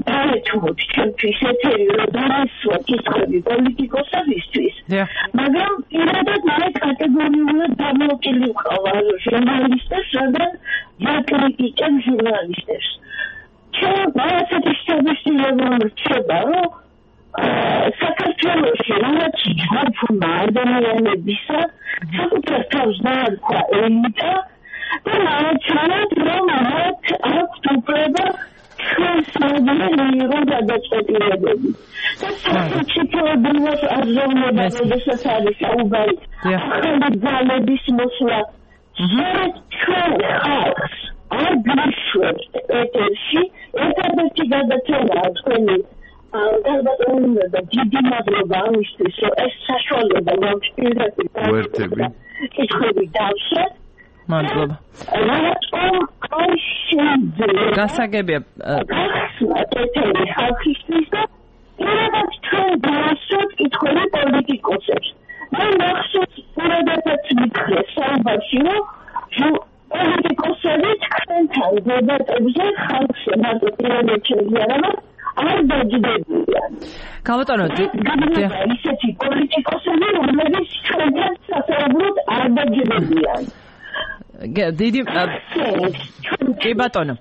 S5: დაეთმოთ ჩემთვის ეთერი, რომ დაესვა კითხვები პოლიტიკოსებისთვის, მაგრამ პირადად მე კატეგორიულად დამოკილი ვყავ ჟურნალისტებს, რადგან დაკრიტიკებ ჟურნალისტებს. ჩვენ ასეთი შთაბეჭდილება რჩება, რომ საქართველოში რაღაც ჯგუფმა ადამიანებისა საკუთარ თავს დაარქვა ელიტა და მართლაც რომ მათ აქვთ უფლება ჩვენს მოდელირებულ გადაწყვეტილებები. და სახელმწიფოებრივად აზროვნება, როდესაც არის საუბარი ახალი ძალების მოსვლა, ჩვენ ხალხს არ გვიშვებთ ეთერში, ერთადერთი გადაცემაა თქვენი გადაწყვეტილება და დიდი მადლობა ამისთვის, რომ ეს საშუალება მაქვს პირდაპირ კითხვები დავსვათ.
S1: მადლობა.
S5: რატომ არ შეიძლება
S1: გასაგებია
S5: ეთერი ხალხისთვის და პირადად ჩვენ დავსვათ კითხვები პოლიტიკოსებს. მე მახსოვს პირადადაც მითხრე საუბარში, რომ პოლიტიკოსები თქვენთან დებატებზე ხალხს მარტო პირადად შეგვიარება არ დაჯდებიან.
S1: ქალბატონო,
S5: ისეთი პოლიტიკოსები, რომლებიც ჩვენთან სასწაუბროდ არ დაჯდებიან.
S1: დიდი კი ბატონო.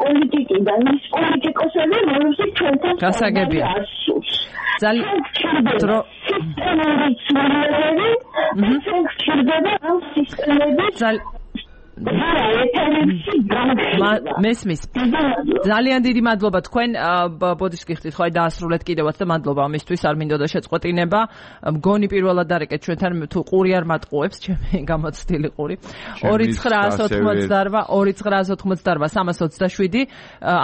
S5: პოლიტიკიდან ის პოლიტიკოსები, რომლებიც ჩვენთან
S1: გასაგებია. ძალიან დრო მესმის ძალიან დიდი მადლობა თქვენ ბოდიშ გიხდით ხო აი დაასრულეთ კიდევაც და მადლობა ამისთვის არ მინდოდა შეწყვეტინება მგონი პირველად დარეკეთ ჩვენთან თუ ყური არ მატყუებს ჩემი გამოცდილი ყური 2988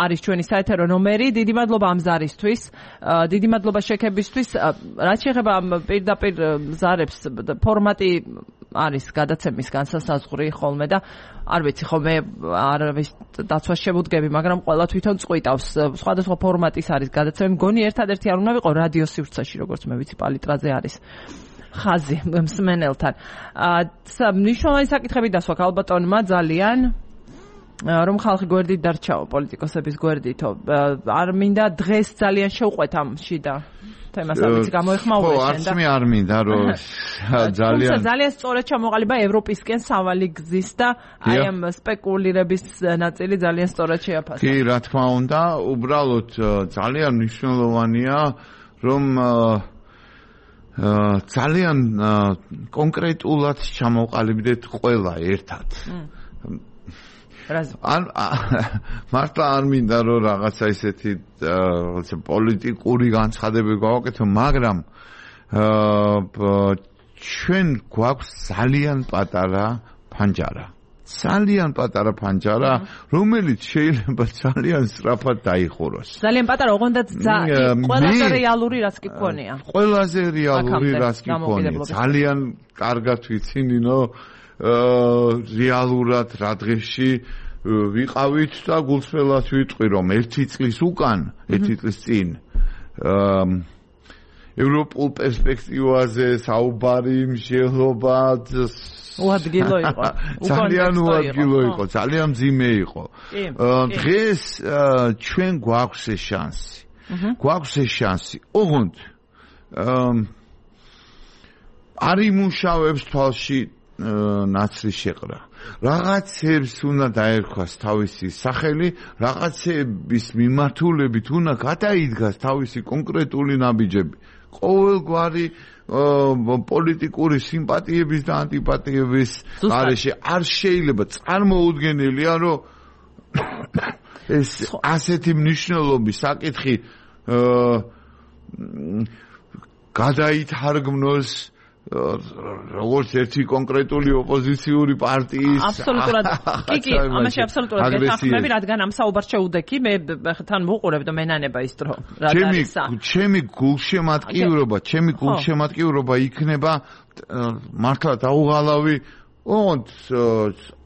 S1: არის ჩვენი საეთერო ნომერი დიდი მადლობა ამ ზარისთვის დიდი მადლობა შექებისთვის რაც შეეხება პირდაპირ ზარებს ფორმატი არის გადაცემის განსასაზღვრი ხოლმე და არ ვიცი ხოლმე არავის დაცვას შევუდგები, მაგრამ ყველა თვითონ წყვიტავს. სხვადასხვა ფორმატის არის გადაცემა. მგონი ერთადერთი არ უნდა ვიყო რადიო სივრცეში, როგორც მე ვიცი, პალიტრაზე არის ხაზი მსმენელთან. მნიშვნელოვანი საკითხები დასვა ქალბატონმა ძალიან რომ ხალხი გვერდით დარჩაო, პოლიტიკოსების გვერდითო. არ მინდა დღეს ძალიან შევყვეთ ამ შიდა თემას ამის გამოეხმაურე შენ და
S4: არც მე არ მინდა რომ
S1: ძალიან სწორად ჩამოყალიბა ევროპისკენ სავალი გზის და აი ამ სპეკულირების ნაწილი ძალიან სწორად შეაფასა.
S4: კი, რა თქმა უნდა, უბრალოდ ძალიან მნიშვნელოვანია რომ ძალიან კონკრეტულად ჩამოყალიბდეთ ყველა ერთად. მართლა არ მინდა რომ რაღაცა ისეთი პოლიტიკური განცხადებები გავაკეთო, მაგრამ ჩვენ გვაქვს ძალიან პატარა ფანჯარა, რომელიც შეიძლება ძალიან სწრაფად დაიხუროს.
S1: ძალიან პატარა, ოღონდ ყველაზე რეალური რაც კი გქონია.
S4: ყველაზე რეალური რაც კი გქონია. ძალიან კარგად ვიცი, ნინო, რეალურად რა დღეში ვიყავით და გულწრფელად ვიტყვი რომ 1 წლის წინ ევროპულ პერსპექტივაზე საუბარი მსჯელობა
S1: უადგილო იყო.
S4: ძალიან უადგილო იყო, ძალიან მძიმე იყო. დღეს ჩვენ გვაქვს ეს შანსი. ოღონდ არ იმუშავებს თვალში ნაცრის შეყრა. რაღაცებს უნდა დაერქვას თავისი სახელი, რაღაცების მიმართულებით უნდა გადაიდგას თავისი კონკრეტული ნაბიჯები. ყოველგვარი პოლიტიკური სიმპათიების და ანტიპათიების გარეშე არ შეიძლება წარმოუდგენელია, რომ ეს ასეთი მნიშვნელობის საკითხი გადაითარგმნოს როგორც ერთი კონკრეტული ოპოზიციური პარტიის
S1: აბსოლუტურად კი ამაში აბსოლუტურად გეთანხმები, რადგან ამ საუბარს შეუდექი მე თან ვუყურებ და მენანება ის დრო ჩემი გულშემატკივრობა იქნება მართლა დაუღალავი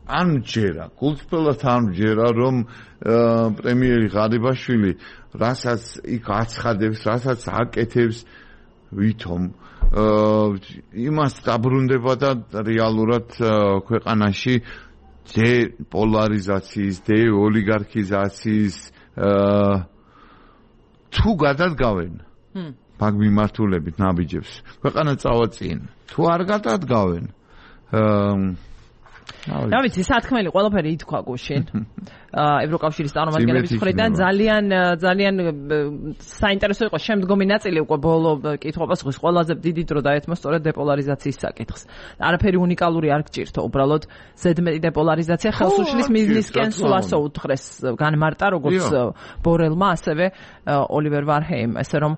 S1: ან ჯერა გულწრფელად არ ჯერა რომ პრემიერი ღარიბაშვილი რასაც იქ აცხადებს, რასაც აკეთებს ვითომ იმას დაბრუნდება და რეალურად ქვეყანაში დეპოლარიზაციის, დეოლიგარქიზაციის თუ გადადგავენ მაგ მიმართულებით ნაბიჯებს, ქვეყანა წავაწინ. თუ არ გადადგავენ რა ვიცი, სათქმელი ყველაფერი ითქვა გუშინ. ევროკავშირის წარმომადგენლების მხრიდან ძალიან საინტერესო იყო შემდგომი ნაწილი უკვე ბოლო კითხობას ხვის ყველაზე დიდი დრო დაეთმო სწორედ დეპოლარიზაციის საკითხს. არაფერი უნიკალური არ გჭირთო, უბრალოდ ზედმეტი დეპოლარიზაცია ხელს უშლის მიზნისკენ სულ ასე უთხრეს განმარტა როგორც ბორელმა, ასევე ოლივერ ვარჰეიმ, ესე რომ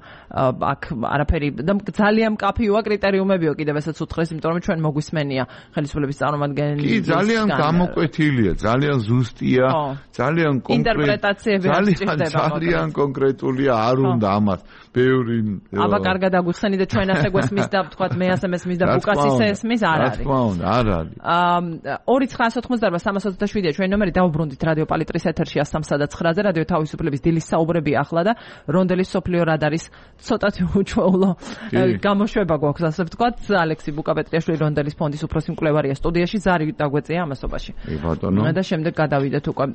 S1: აქ არაფერი და ძალიან მკაფიოა კრიტერიუმებიო კიდევ ესაც უთხრეს, იმიტომ რომ ჩვენ მოგვისმენია ხელისუფლების წარმომადგენლები.
S4: კი, ძალიან გამოკვეთილია, ძალიან ზუსტია. ძალიან კონკრეტულია, არ უნდა ამას ბევრი
S1: აბა კარგად აგვიხსენი და ჩვენ ასე გვესმის და ვთქვათ მე ასე მესმის და ბუკას ისე ესმის არ არის.
S4: არ არის.
S1: 2988-327-ია ჩვენი ნომერი, დავუბრუნდით რადიო პალიტრის ეთერში 103.9-ზე რადიო თავისუფლების დილის საუბრები ახლა და რონდელის სოფლიო რადარის ცოტათი უჩვეულო გამოშვება გვაქვს ასე ვთქვათ. ალექსი ბუკაპეტრიაშვილი რონდელის ფონდის უფროსი მკვლევარია სტუდიაში, ზარი დაგვეწია ამასობაში. და შემდეგ გადავიდეთ უკვე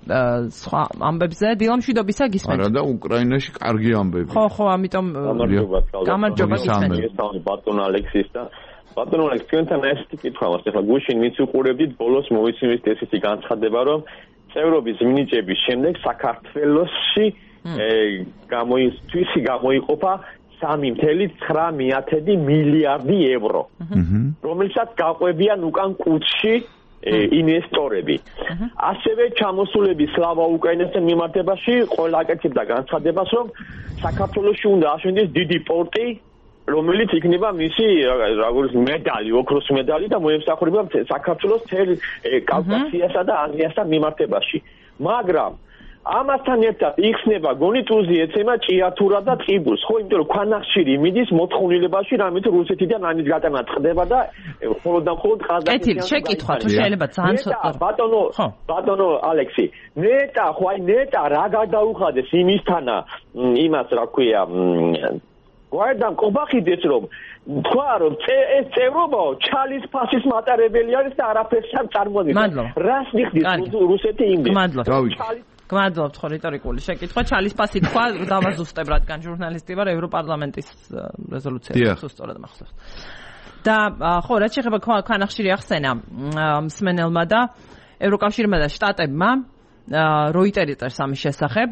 S1: სხვა ამბებზე. დილა მშვიდობისა გისმენთ.
S4: არა და უკრაინაში კარგი ამბები.
S1: ხო, ამიტომ გამარჯობა გისმენთ.
S6: ბატონ ალექსის და ბატონ ალექს თქვენთან ესეთი კითხვა მაქვს. ახლა გუშინ მიც უყურებდით, ბოლოს მოვიცემთ ესეთი განცხადება, რომ წევრობის მინიჭების შემდეგ საქართველოში გამოიყოფა 3.9 მილიარდი ევრო, რომელსაც გაყვებიან უკან კუთხში ინვესტორები. ასევე ჩამოსულები სლავა უკრაინასთან მიმართებაში ყველა აკეთებდა განცხადებას, რომ საქართველოში უნდა აშენდეს დიდი პორტი, რომელიც იქნება მისი როგორც მედალი, ოქროს მედალი და მოემსახურება საქართველოს მთელ კავკასიასა და აზიასთან მიმართებაში. მაგრამ ამასთან ერთად იხსნება გონიტუზი ეცემა ჭიათურა და ტყიბულს, ხო, იმიტომ რომ ქვანახშირი მიდის მოთხოვნილებაში, რამით რუსეთიდან ამის გატანა წყდება და მხოლოდ და მხოლოდ ყაზახეთიდან.
S1: შეკითხვა თუ შეიძლება ძალიან ცოტა.
S6: ბატონო ალექსი, ნეტა რა გადაუხადეს იმისთანა, იმას რა ქვია, გვარდამ ყობახიდეს რომ თქვა რომ ეს წევრობაო ჩალის ფასის მატარებელი არის და არაფერს არ წარმოადგენს. რას ნიხდის რუსეთი იმდენ?
S1: გმადლობთ ხო რიტორიკული შეკითხვა. ჩალის ფასი თქვა დავაზუსტებ, რადგან ჟურნალისტი ვარ, ევროპარლამენტის რეზოლუცია სუსტად მახსოვს. და ხო, რაც შეეხება ქვანახშირი ახსენა მსმენელმა და ევროკავშირმა და შტატებმა როიტერი წერს ამის შესახებ,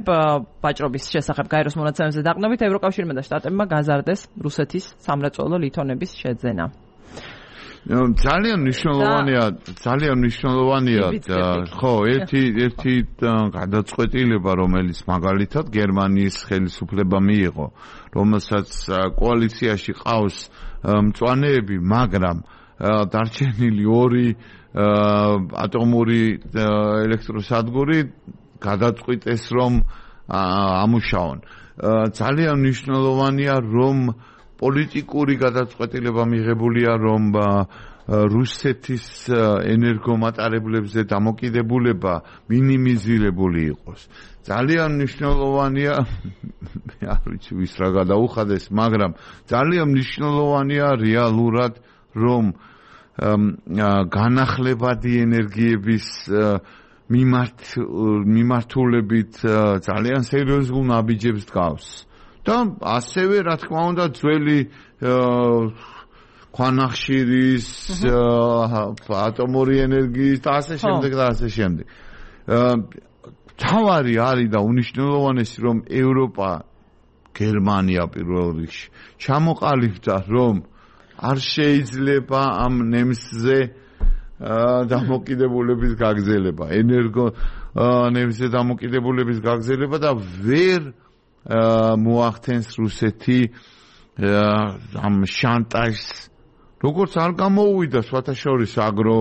S1: ვაჭრობის შესახებ გაეროს მონაცემებზე დაყნობით, ევროკავშირმა და შტატებმა გაზარდეს რუსეთის სამრეწველო ლითონების შეძენა.
S4: ძალიან მნიშვნელოვანია ხო, ერთი გადაწყვეტილება, რომელიც მაგალითად გერმანიის ხელისუფლებამ მიიღო, რომელსაც კოალიციაში ყავს მწვანეები, მაგრამ დარჩენილი 2 ატომური ელექტროსადგური გადაწყვიტეს რომ ამუშაონ. ძალიან მნიშვნელოვანია რომ პოლიტიკური გადაწყვეტილება მიღებულია რომ რუსეთის ენერგომატარებლებზე დამოკიდებულება მინიმიზირებული იყოს. ძალიან მნიშვნელოვანია, არ ვიცი ვის რა გადაუხადეს, მაგრამ ძალიან მნიშვნელოვანია რეალურად რომ განახლებადი ენერგიების მიმართულებით ძალიან სერიოზულ ნაბიჯებს დგავს. და ასევე რა თქმა უნდა ძველი ქვანახშირის, ატომური ენერგიის და ასე შემდეგ და ასე შემდეგ. თავარი არის და უნიშნელოვანესი რომ ევროპა გერმანია პირველ რიგში ჩამოყალიბდა რომ არ შეიძლება ამ ნემსზე დამოკიდებულების გაგრძელება, ენერგო ნემსზე დამოკიდებულების გაგრძელება და ვერ მოახდენს რუსეთი ამ შანტაჟს, როგორც არ გამოუვიდა სხვათაშორის აგრო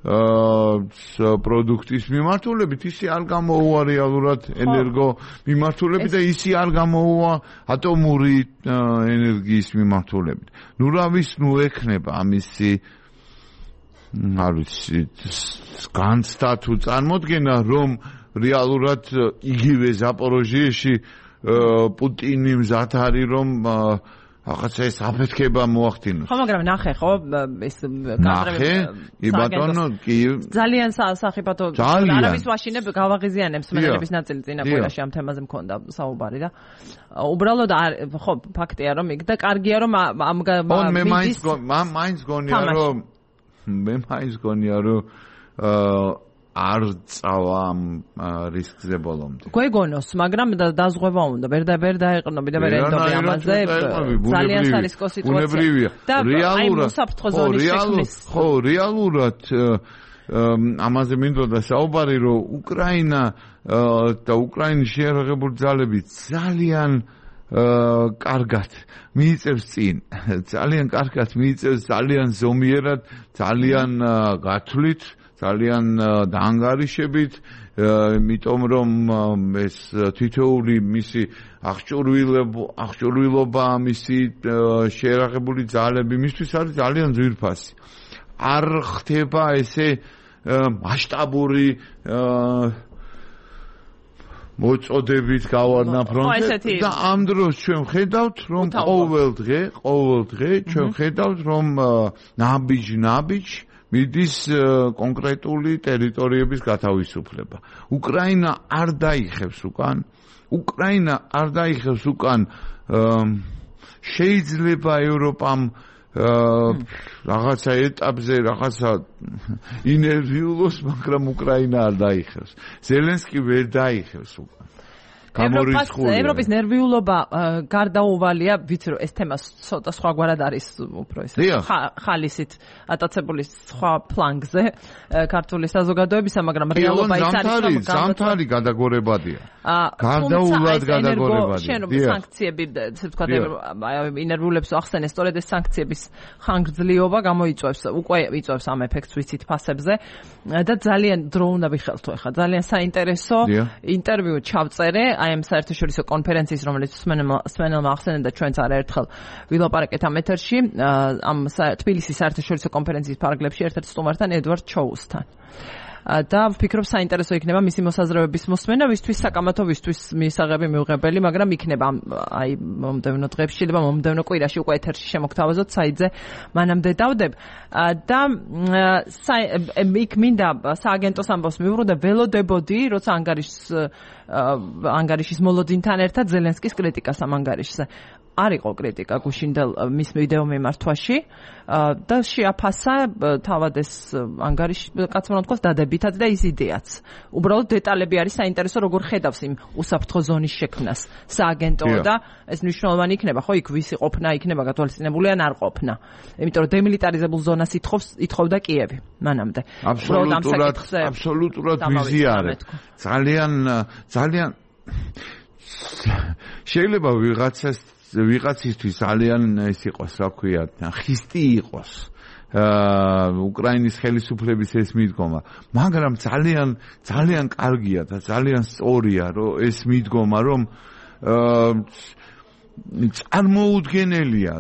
S4: პროდუქტის მიმართულებით, ისე არ გამოუვა რეალურად ენერგო მიმართულებით და ისე არ გამოუვა ატომური ენერგიის მიმართულებით. ნუ რა ვის ნუ ექნება ამისი არ ვიცი განცდა თუ წარმოდგენა რომ რეალურად იგივე ზაპოროჟიეში პუტინი მზად არის რომ ახაც ეს აფეთქება მოახდინოს.
S1: ხო, მაგრამ ნახე, ხო, ეს
S4: ნახე, ბატონო, კი.
S1: ძალიან სახიფათო არავის ვაშინებ გავაღიზიანებს მენელების ნაწილი წინა კვირაში ამ თემაზე მქონდა საუბარი და უბრალოდ ხო, ფაქტია რომ იქ და კარგია რომ ამ
S4: მე მაინც გონია რომ არ წავა ამ რისკზე ბოლომდე.
S1: გვეგონოს, მაგრამ დაზღვევა უნდა. ვერ დაეყრდნობი და ვერ ენდობი ამაზე. ძალიან სარისკო სიტუაცია. და რეალურად საფრთხო ზონის შექმნის.
S4: ხო, რეალურად ამაზე მინდოდა საუბარი, რომ უკრაინა და უკრაინის შეერაღებული ძალები ძალიან კარგად მიიწევს წინ. ძალიან კარგად მიიწევს, ძალიან ზომიერად, ძალიან გათვლით. ძალიან დაანგარიშებით, იმიტომ რომ ეს თითოეული მისი აღჭურვილობა, მისი შეერაღებული ძალები მისთვის არის ძალიან ძვირფასი. არ ხდება ესე მასშტაბური მოწოდებით გავარდნა ფრონტზე და ამ დროს ჩვენ ხედავთ რომ ყოველ დღე ჩვენ ხედავთ რომ ნაბიჯ მიდის კონკრეტული ტერიტორიების გათავისუფლება. უკრაინა არ დაიხევს უკან. შეიძლება ევროპამ რაღაცა ეტაპზე რაღაცა ინერვიულოს, მაგრამ უკრაინა არ დაიხევს. ზელენსკი ვერ დაიხევს უკან.
S1: ევროპის ნერვიულობა გარდაუვალია, ვიცი რომ ეს თემა ცოტა სხვაგვარად არის უფრო ეს ხალისით ატაცებული სხვა ფლანგზე ქართული საზოგადოებისა, მაგრამ რეალობა ის არის
S4: ზამთარი გადაგორებადია. გარდაუვალად გადაგორებადია.
S1: შენობის სანქციები, ესე ვთქვათ, ინერვიულებს ახსენე, სწორედ ეს სანქციების ხანგრძლივობა გამოიწვევს, უკვე იწვევს ამ ეფექტს ვიცით ფასებზე და ძალიან დრო უნდა ვიხელთო ახლა. ძალიან საინტერესო ინტერვიუ ჩავწერე აი ამ საერთაშორისო კონფერენციის, რომელიც სმენელმა ახსენა და ჩვენც არაერთხელ ვილაპარაკეთ ამ ეთერში, ამ თბილისის საერთაშორისო კონფერენციის ფარგლებში ერთ-ერთ სტუმართან ედვარდ ჩოუსთან. და ვფიქრობ საინტერესო იქნება მისი მოსაზრებების მოსმენა, ვისთვის საკამათო, ვისთვის მისაღები მიუღებელი, მაგრამ იქნება აი მომდევნო დღეებში და მომდევნო კვირაში უკვე ეთერში შემოგთავაზოთ საიტზე მანამდე დავდებ და იქ მინდა სააგენტოს ამბავს მივუღო და ველოდებოდი, როცა ანგარიშის მოლოდინთან ერთად ზელენსკის კრიტიკას ამ ანგარიშზე. არ იყო კრიტიკა გუშინდელ მის ვიდეო მიმართვაში და შეაფასა თავად ეს ანგარიში კაცმა თქვას დადებითად და ის იდეაც. უბრალოდ დეტალები არის საინტერესო, როგორ ხედავს იმ უსაფრთხო ზონის შექმნას სააგენტო და ეს მნიშვნელოვანი იქნება, ხო, იქ ვისი ყოფნა იქნება გათვალისწინებული ან არ ყოფნა. იმიტომ რომ დემილიტარიზებულ ზონას ითხოვდა კიევი მანამდე.
S4: აბსოლუტურად ვიზიარებ. ძალიან შეიძლება ვიღაცისთვის ძალიან ეს იყოს, რა ქვია, ხისტი იყოს უკრაინის ხელისუფლების ეს მიდგომა, მაგრამ ძალიან კარგია და ძალიან სწორია რომ ეს მიდგომა, რომ წარმოუდგენელია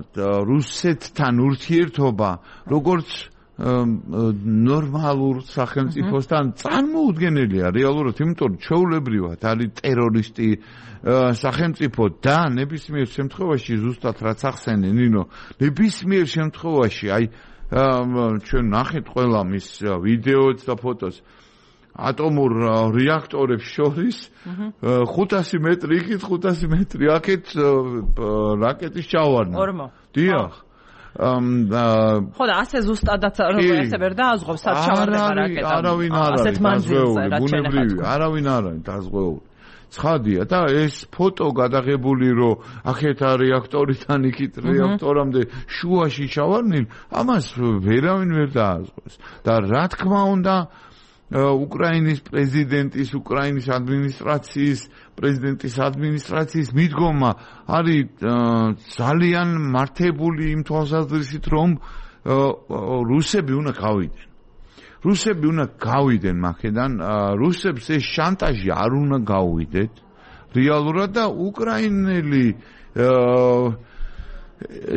S4: რუსეთთან ურთიერთობა, როგორც ნორმალურ სახელმწიფოსთან წარმოუდგენელია რეალურად, იმიტომ რომ ჩვეულებრივად არის ტერორისტი სახელმწიფო და ნებისმიერ შემთხვევაში ზუსტად რაც ახსენე ნინო, ნებისმიერ შემთხვევაში აი ჩვენ ნახეთ ყველა მის ვიდეოებს და ფოტოს ატომურ რეაქტორებს შორის 500 მეტრი იქით, 500 მეტრი აქეთ რაკეტის ჩავარდნა. დიახ.
S1: ხო და ასე ზუსტადაც როგორ ესე ვერ დააზღვევს საჩავარდება რაკეტა.
S4: არავინ არ არის ბუნებრივი, არავინ არ არის დაზღვეული. ცხადია და ეს ფოტო გადაღებული რომ ახეთ რეაქტორიდან იქით რეაქტორამდე შუაში ჩავარდნილ, ამას ვერავინ ვერ დააზღვევს. და რა თქმა უნდა უკრაინის პრეზიდენტის, უკრაინის პრეზიდენტის ადმინისტრაციის მიდგომა არის ძალიან მართებული იმ თვალსაზრისით, რომ რუსები უნდა გავიდნენ. რუსები უნდა გავიდნენ მაქედან, რუსებს ეს შანტაჟი არ უნდა გაუვიდეთ. რეალურად და უკრაინელი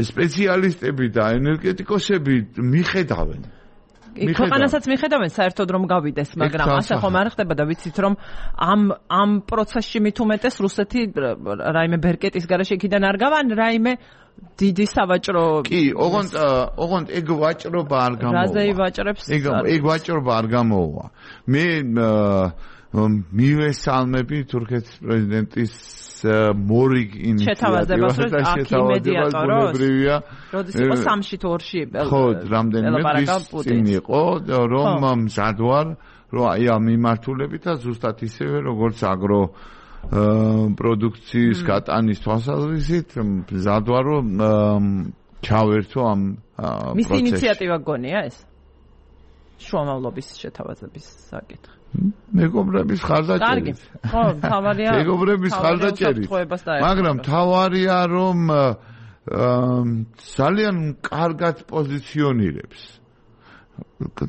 S4: სპეციალისტები და ენერგეტიკოსები მიხედავენ.
S1: ქვეყანასაც მიხედავენ საერთოდ რომ გავიდეს, მაგრამ ასე ხომ არ ხდება და ვიცით რომ ამ პროცესში მით უმეტეს რუსეთი რაიმე ბერკეტის გარეშე იქიდან არ გავა, რაიმე დიდი სავაჭრო
S4: კი, ოღონდ ეგ ვაჭრობა არ გამოვა.
S1: რაზე ივაჭრებს?
S4: ეგ ვაჭრობა არ გამოვა. მე მივესალმები თურქეთის პრეზიდენტის მორიგ ინიციატივას და შეთავაზებას ბუნებრივია.
S1: როდის იყო 3-ში თუ 2-ში?
S4: ხო, რამდენიმე წინ იყო, რომ მზად ვარ, რომ აი ამ მიმართულებითაც ზუსტად ისევე როგორც აგრო პროდუქციის გატანის თვალსაზრისით მზად ვარ, რომ ჩავერთო ამ პროცესში.
S1: მისი ინიციატივა გონია ეს? შუამავლობის შეთავაზების საკითხი.
S4: მეგობრების ხარდაჭერით.
S1: ხო, თავარია.
S4: მეგობრების ხარდაჭერით. მაგრამ თავარია რომ ძალიან კარგად პოზიციონირებს.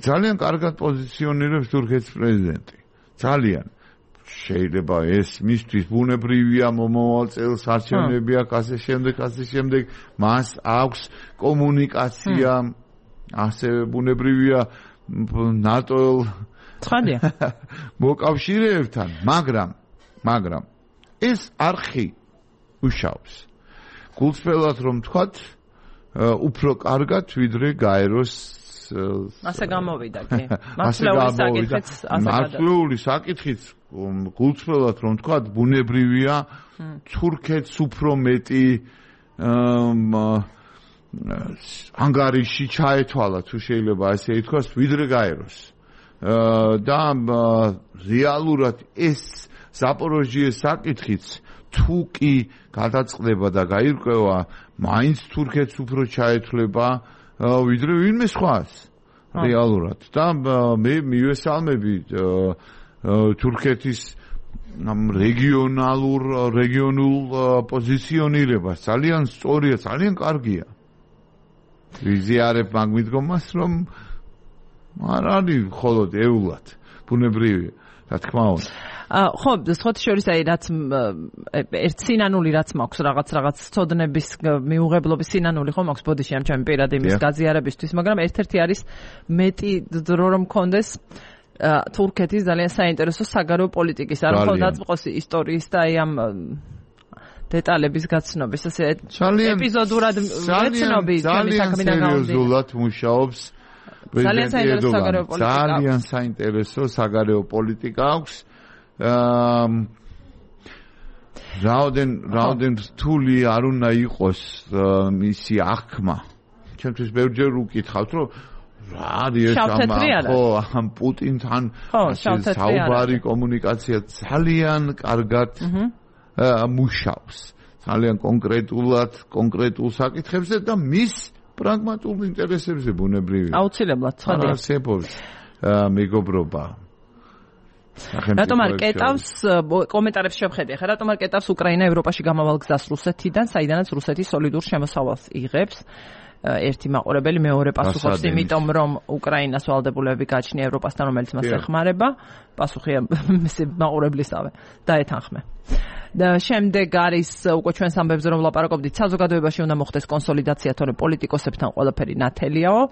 S4: ძალიან კარგად პოზიციონირებს თურქეთის პრეზიდენტი. ძალიან შეიძლება ეს მისთვის ბუნებრივია მომავალ წელს არჩევნები აქვს ასე შემდეგ მას აქვს კომუნიკაცია ასევე ბუნებრივია ნატო
S1: ცხადია
S4: მოკავშირეებთან, მაგრამ ეს არხი უშავს. გულწრფელად რომ თქვათ, უფრო კარგად ვიდრე გაეროს
S1: ასე გამოვიდა კი.
S4: მასშტაბური საკითხიც გულწრფელად რომ თქვათ, ბუნებრივია თურქეთს უფრო მეტი ანგარიში ჩაეთვალა, თუ შეიძლება ასე ითქვას, ვიდრე გაეროს. და რეალურად ეს ზაპოროჟიეს საკითხიც თუ კი გადაწყდება და გაირკვევა, მაინც თურქეთს უფრო ჩაეთვლება ვიდრე ვინმე სხვას რეალურად. და მე მივესალმები თურქეთის რეგიონულ პოზიციონირებას. ძალიან სწორია, ძალიან კარგია. ვიზიარებ მაგ მიდგომას, რომ არ არის მხოლოდ ეულად ბუნებრივია, რა თქმა უნდა.
S1: ხო, სხვათა შორის აი რაც ერთ სინანული რაც მაქვს რაღაც ცოდნების მიუღებლობის სინანული ხო მაქვს ბოდიში ამ ჩემი პირადი იმის გაზიარებისთვის, მაგრამ ერთ-ერთი არის მეტი დრო რომ მქონდეს თურქეთის ძალიან საინტერესო საგარეო პოლიტიკის არ ხო დაწყოსი ისტორიის და აი ამ დეტალების გაცნობის ასე ეპიზოდურად ვეცნობი ჩემი საქმიდან გამომდინარე.
S4: სერიოზულად მუშაობს ძალიან საინტერესო საგარეო პოლიტიკა აქვს. რაოდენ რთული არ უნდა იყოს მისი აღქმა. ჩემთვის ბევრჯერ უკითხავთ, რომ რა არის ამ პუტინთან საუბარი კომუნიკაცია ძალიან კარგად მუშაობს. ძალიან კონკრეტულ საკითხებზე და მის პრაგმატულ ინტერესებზე ბუნებრივია.
S1: აუცილებლად, ცხადია.
S4: არსებობს მეგობრობა.
S1: რატომ არ კეტავს კომენტარებში შევხედე ხა რატომ არ კეტავს უკრაინა ევროპაში გამავალ გზას რუსეთიდან, საიდანაც რუსეთი სოლიდურ შემოსავალს იღებს? ერთი მაყურებელი მეორე პასუხობს, იმიტომ რომ უკრაინას ვალდებულები გააჩნია ევროპასთან, რომელიც მას ეხმარება. პასუხია მაყურებლისავე. დაეთანხმე. და შემდეგ არის უკვე ჩვენს ამბებზე რომ ვლაპარაკობდით, საზოგადოებაში უნდა მოხდეს კონსოლიდაცია, თორემ პოლიტიკოსებთან ყველაფერი ნათელიაო.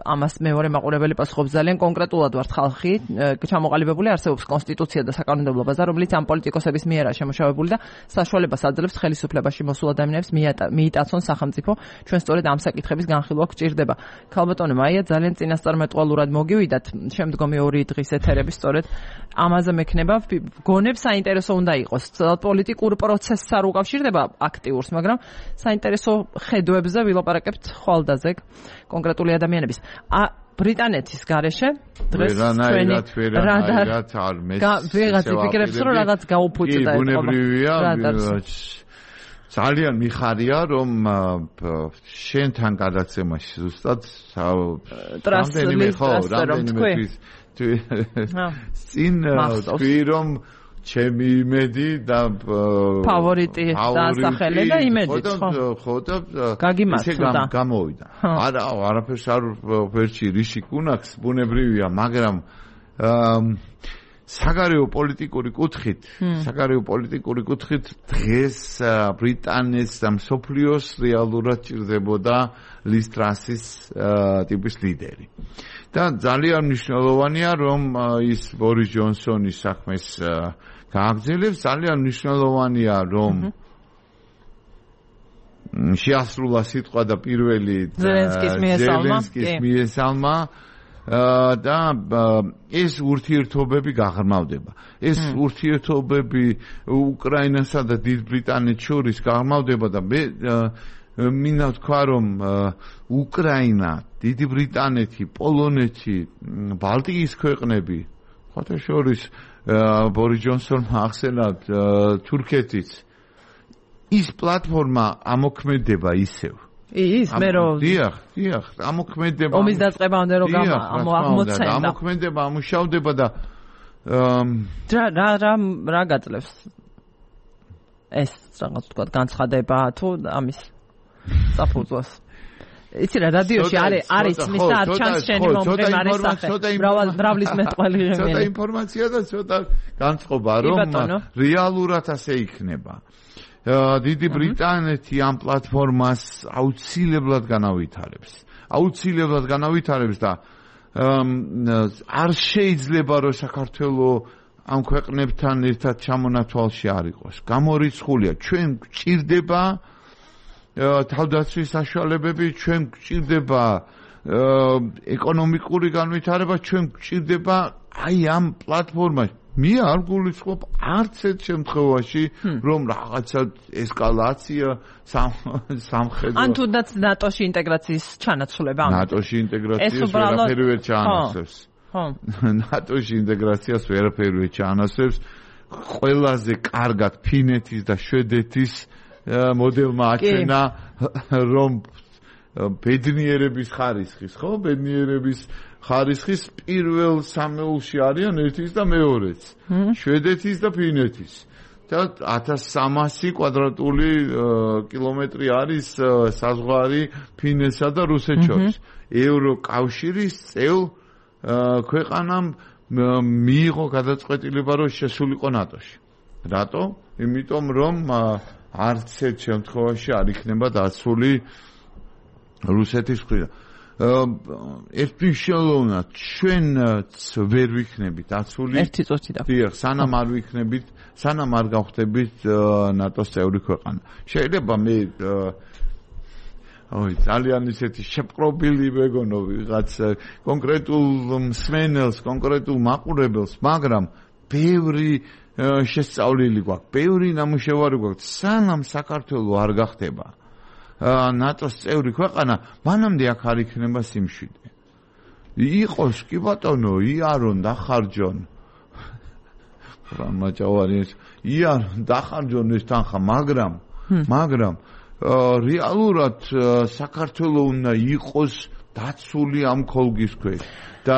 S1: ამას მეორე მაყურებელი პასუხობს, ძალიან კონკრეტულად ვართ ხალხი, ჩამოყალიბებული არსებობს კონსტიტუცია და საკანონმდებლო ბაზა, რომელიც ამ პოლიტიკოსების მიერაა შემოშავებული და საშუალებას აძლევს ხელისუფლებაში მოსულ ადამიანებს მიიტაცონ სახელმწიფო ჩვენ სწორედ ამ საკითხების განხილვა გვჭირდება. ქალბატონო მაია, ძალიან წინასწარმეტყველურად მოგივიდათ შემდგომი 2 დღის ეთერები სწორედ ამაზე მექნება. გონებ საინტერესო უნდა იყოს. პოლიტიკურ პროცესს არ უკავშირდება აქტიურს, მაგრამ საინტერესო ხედვებზე ვილაპარაკებთ ხვალდაზე კონკრეტული ადამიანების. ბრიტანეთის გარეშე დღეს ჩვენი
S4: რადარ არ
S1: ვიღაც იფიქრებს რომ რაღაც გაუფუჭდა ეს
S4: ბუნებრივია ძალიან მიხარია რომ შენთან გადაცემაში ზუსტად რამდენიმე წინ თქვი რომ ჩემი იმედი და
S1: ფავორიტი დასახელე და იმედით
S4: ხო და
S1: გაგიმართლა
S4: გამოვიდა არაფერს არ ვერჩი რიში კუნაქს ბუნებრივია მაგრამ საგარეო პოლიტიკური კუთხით დღეს ბრიტანეთს და მსოფლიოს რეალურად ჭირდებოდა ლის ტრასის ტიპის ლიდერი და ძალიან მნიშვნელოვანია რომ ის ბორის ჯონსონის საქმეს გააგრძელებს ძალიან მნიშვნელოვანია რომ შეასრულა სიტყვა და პირველი ზელენსკის მიესალმა და ეს ურთიერთობები გაღრმავდება. ეს ურთიერთობები უკრაინასა და დიდ ბრიტანეთს შორის გაღრმავდება და მე მინდა ვთქვა რომ უკრაინა, დიდი ბრიტანეთი, პოლონეთი, ბალტიის ქვეყნები, ხოთა შორის ბორის ჯონსონმა ახსენა თურქეთიც ის პლატფორმა ამოქმედება ისევ
S1: ის მე რომ
S4: დიახ ამოქმედება
S1: ომის დაწყებამდე რომ აღმოცენდა
S4: ამოქმედება ამუშავდება და
S1: რა გაძლევს ეს რაღაც თქვა განცხადება თუ ამის საფუძვლას იცი რა რადიოში არის მისა არ ჩანს შენი მომღერლის სახე მრავლის მეტყველი ღმერთი
S4: ცოტა ინფორმაცია და ცოტა განწყობა რომ რეალურად ასე იქნება დიდი ბრიტანეთი ამ პლატფორმას აუცილებლად განავითარებს და არ შეიძლება რომ საქართველოს ამ ქვეყნებთან ერთად ჩამონათვალში არ იყოს. გამორიცხულია, ჩვენ გვჭირდება თავდაცვის საშუალებები, ჩვენ გვჭირდება ეკონომიკური განვითარება, ჩვენ გვჭირდება აი ამ პლატფორმაში. მე არ გულისხმობ არც ერთ შემთხვევაში რომ რაღაცა ესკალაცია სამხედრო
S1: ან თუნდაც ნატოში ინტეგრაციის ჩანაცვლება
S4: ნატოში ინტეგრაციას ვერაფერი ჩაანაცვლებს ნატოში ინტეგრაციას ვერაფერი ჩაანაცვლებს ყველაზე კარგად ფინეთის და შვედეთის მოდელმა აჩვენა რომ ბედნიერების ხარისხის პირველ სამეულში არიან ერთის და მეორეც შვედეთის და ფინეთის და 1300 კვადრატული კილომეტრი არის საზღვარი ფინეთსა და რუსეთს შორის ევროკავშირის წევრ ქვეყანამ მიიღო გადაწყვეტილება რომ შესულიყო ნატოში რატო? იმიტომ რომ არც ერთ შემთხვევაში არ იქნება დაცული რუსეთის მხრიდან ერთმნიშვნელოვნად ჩვენც ვერ ვიქნებით დაცული
S1: ერთი წუთი და
S4: სანამ არ გავხდებით ნატოს წევრი ქვეყანა შეიძლება მე ძალიან ისეთი შეპყრობილი ვეგონო ვიღაც კონკრეტულ მსმენელს კონკრეტულ მაყურებელს მაგრამ ბევრი შესწავლილი გვაქვს ბევრი ნამუშევარი გვაქვს სანამ საქართველოს არ გახდება ნატოს წევრი ქვეყანა მანამდე აქ არ იქნება სიმშვიდე იყოს კი ბატონო იარონ დახარჯონ რამაჭავარიეს იარონ დახარჯონ ეს თანხა მაგრამ რეალურად საქართველოს უნდა იყოს დაცული ამ ქოლგის ქვეშ და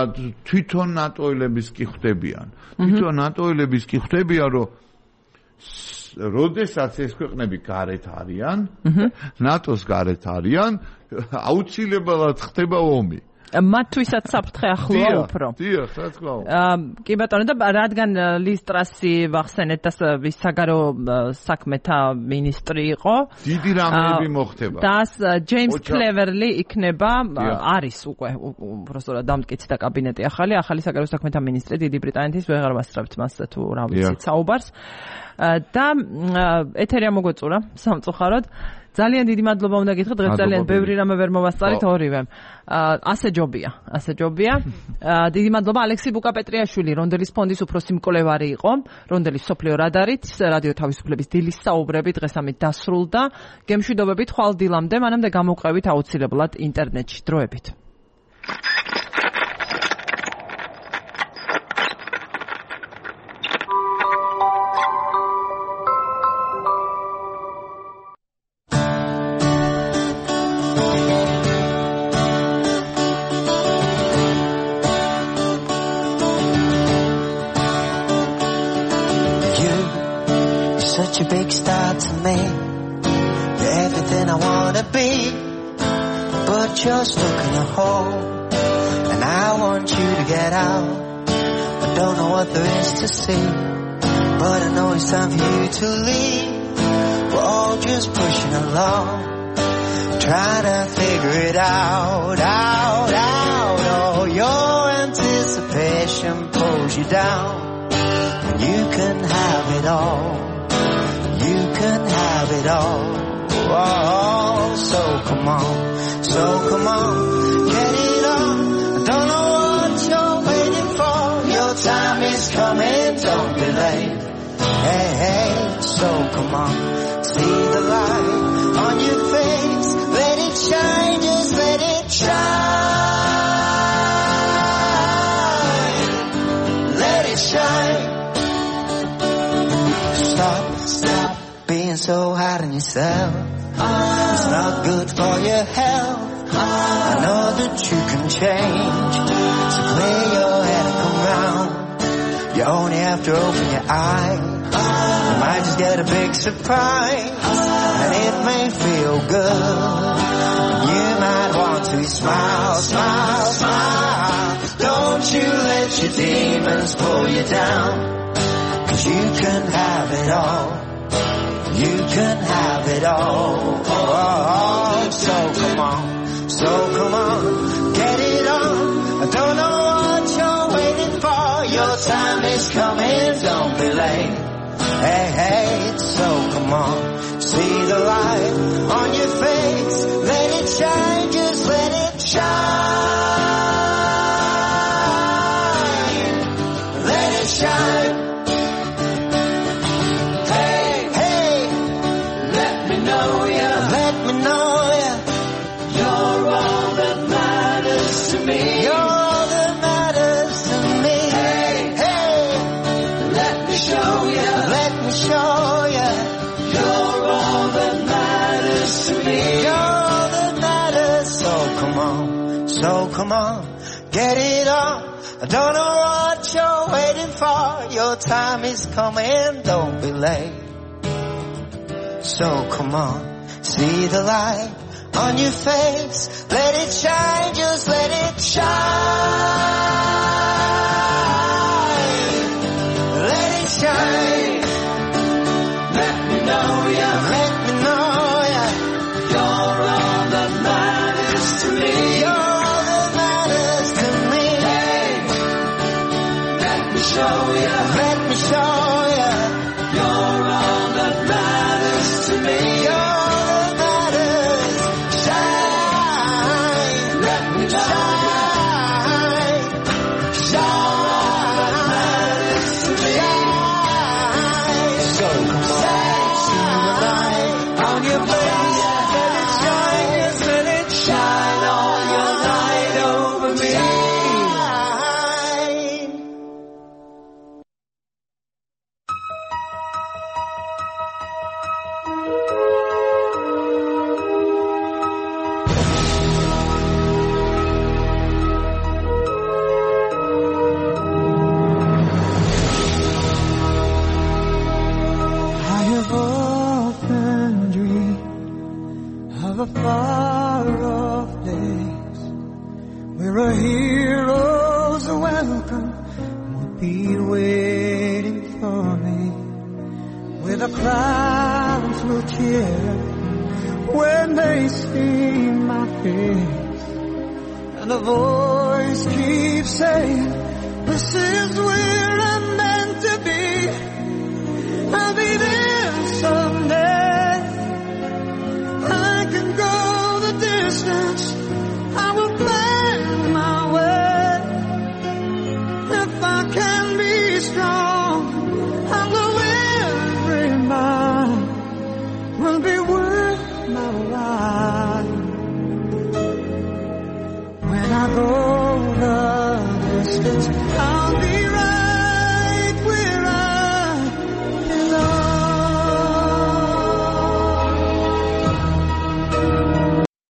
S4: თვითონ ნატოელების კი ხვდებიან რომ როდესაც ეს ქვეყნები გარეთ არიან, ნატოს გარეთ არიან, აუცილებლად ხდება ომი.
S1: მათთვისაც საფრთხე ახლოა უფრო.
S4: დიახ, რა თქმა უნდა.
S1: კი ბატონო და რადგან ლის ტრასი ვახსენეთ და საგარეო საქმეთა მინისტრი იყო,
S4: დიდი რამეები მოხდება.
S1: და ჯეიმს კლევერლი იქნება არის უკვე უბრალოდ დამტკიცდა კაბინეტი ახალი საგარეო საქმეთა მინისტრი დიდი ბრიტანეთის ვეღარ ვასწრებთ მასზე თუ რა ვიცით საუბარს. და ეთერი ამოგვეწურა სამწუხაროდ ძალიან დიდი მადლობა უნდა გითხრათ, დღეს ძალიან ბევრი რამე ვერ მოვასწარით ორივემ. ასე ჯობია. დიდი მადლობა ალექსი ბუკაპეტრიაშვილი, რონდელის ფონდის უფროსი მკვლევარი იყო, რონდელის სოფლიო რადარით, რადიო თავისუფლების დილის საუბრები დღეს ამით დასრულდა. გემშვიდობებით ხვალ დილამდე, მანამდე გამოვყევით აუცილებლად ინტერნეტში დროებით.
S7: Such a big star to me. You're everything I wanna be. But you're stuck in a hole, and I want you to get out. I don't know what there is to see, but I know it's time for you to leave. We're all just pushing along, trying to figure it out. Oh, your anticipation pulls you down. You can have it all. You can have it all. Oh, so come on, get it on. I don't know what you're waiting for. Your time is coming, don't be late. Hey, so come on, see the light on your face. Let it shine, just let it shine. Let it shine. Stop being so hard on yourself. It's not good for your health. I know that you can change, so clear your head and come round. You only have to open your eyes. You might just get a big surprise, and it may feel good. You might want to smile. Don't you let your demons pull you down, 'cause you can have it all. You can have it all. Oh, so come on, get it on. I don't know what you're waiting for. Your time is coming, don't be late. Hey, so come on, see the light on your face. Let it shine, just let it shine. Let it shine. So come on, get it on. I don't know what you're waiting for. Your time is coming, don't be late. So come on, see the light on your face. Let it shine, just let it shine. Let it shine. Let me know ya. Let me know ya. You're all that matters to me. Let me show ya. You're all that matters to me. You're all that matters. Shine. Let me shine. Shine. Matters to me. Shine. So come on, see the light on your face. Let it shine. Yes, let it shine all your light over me.
S8: Far-off days where a hero's welcome would be waiting for me, where the crowds will cheer when they see my face, and the voice keeps saying, this is where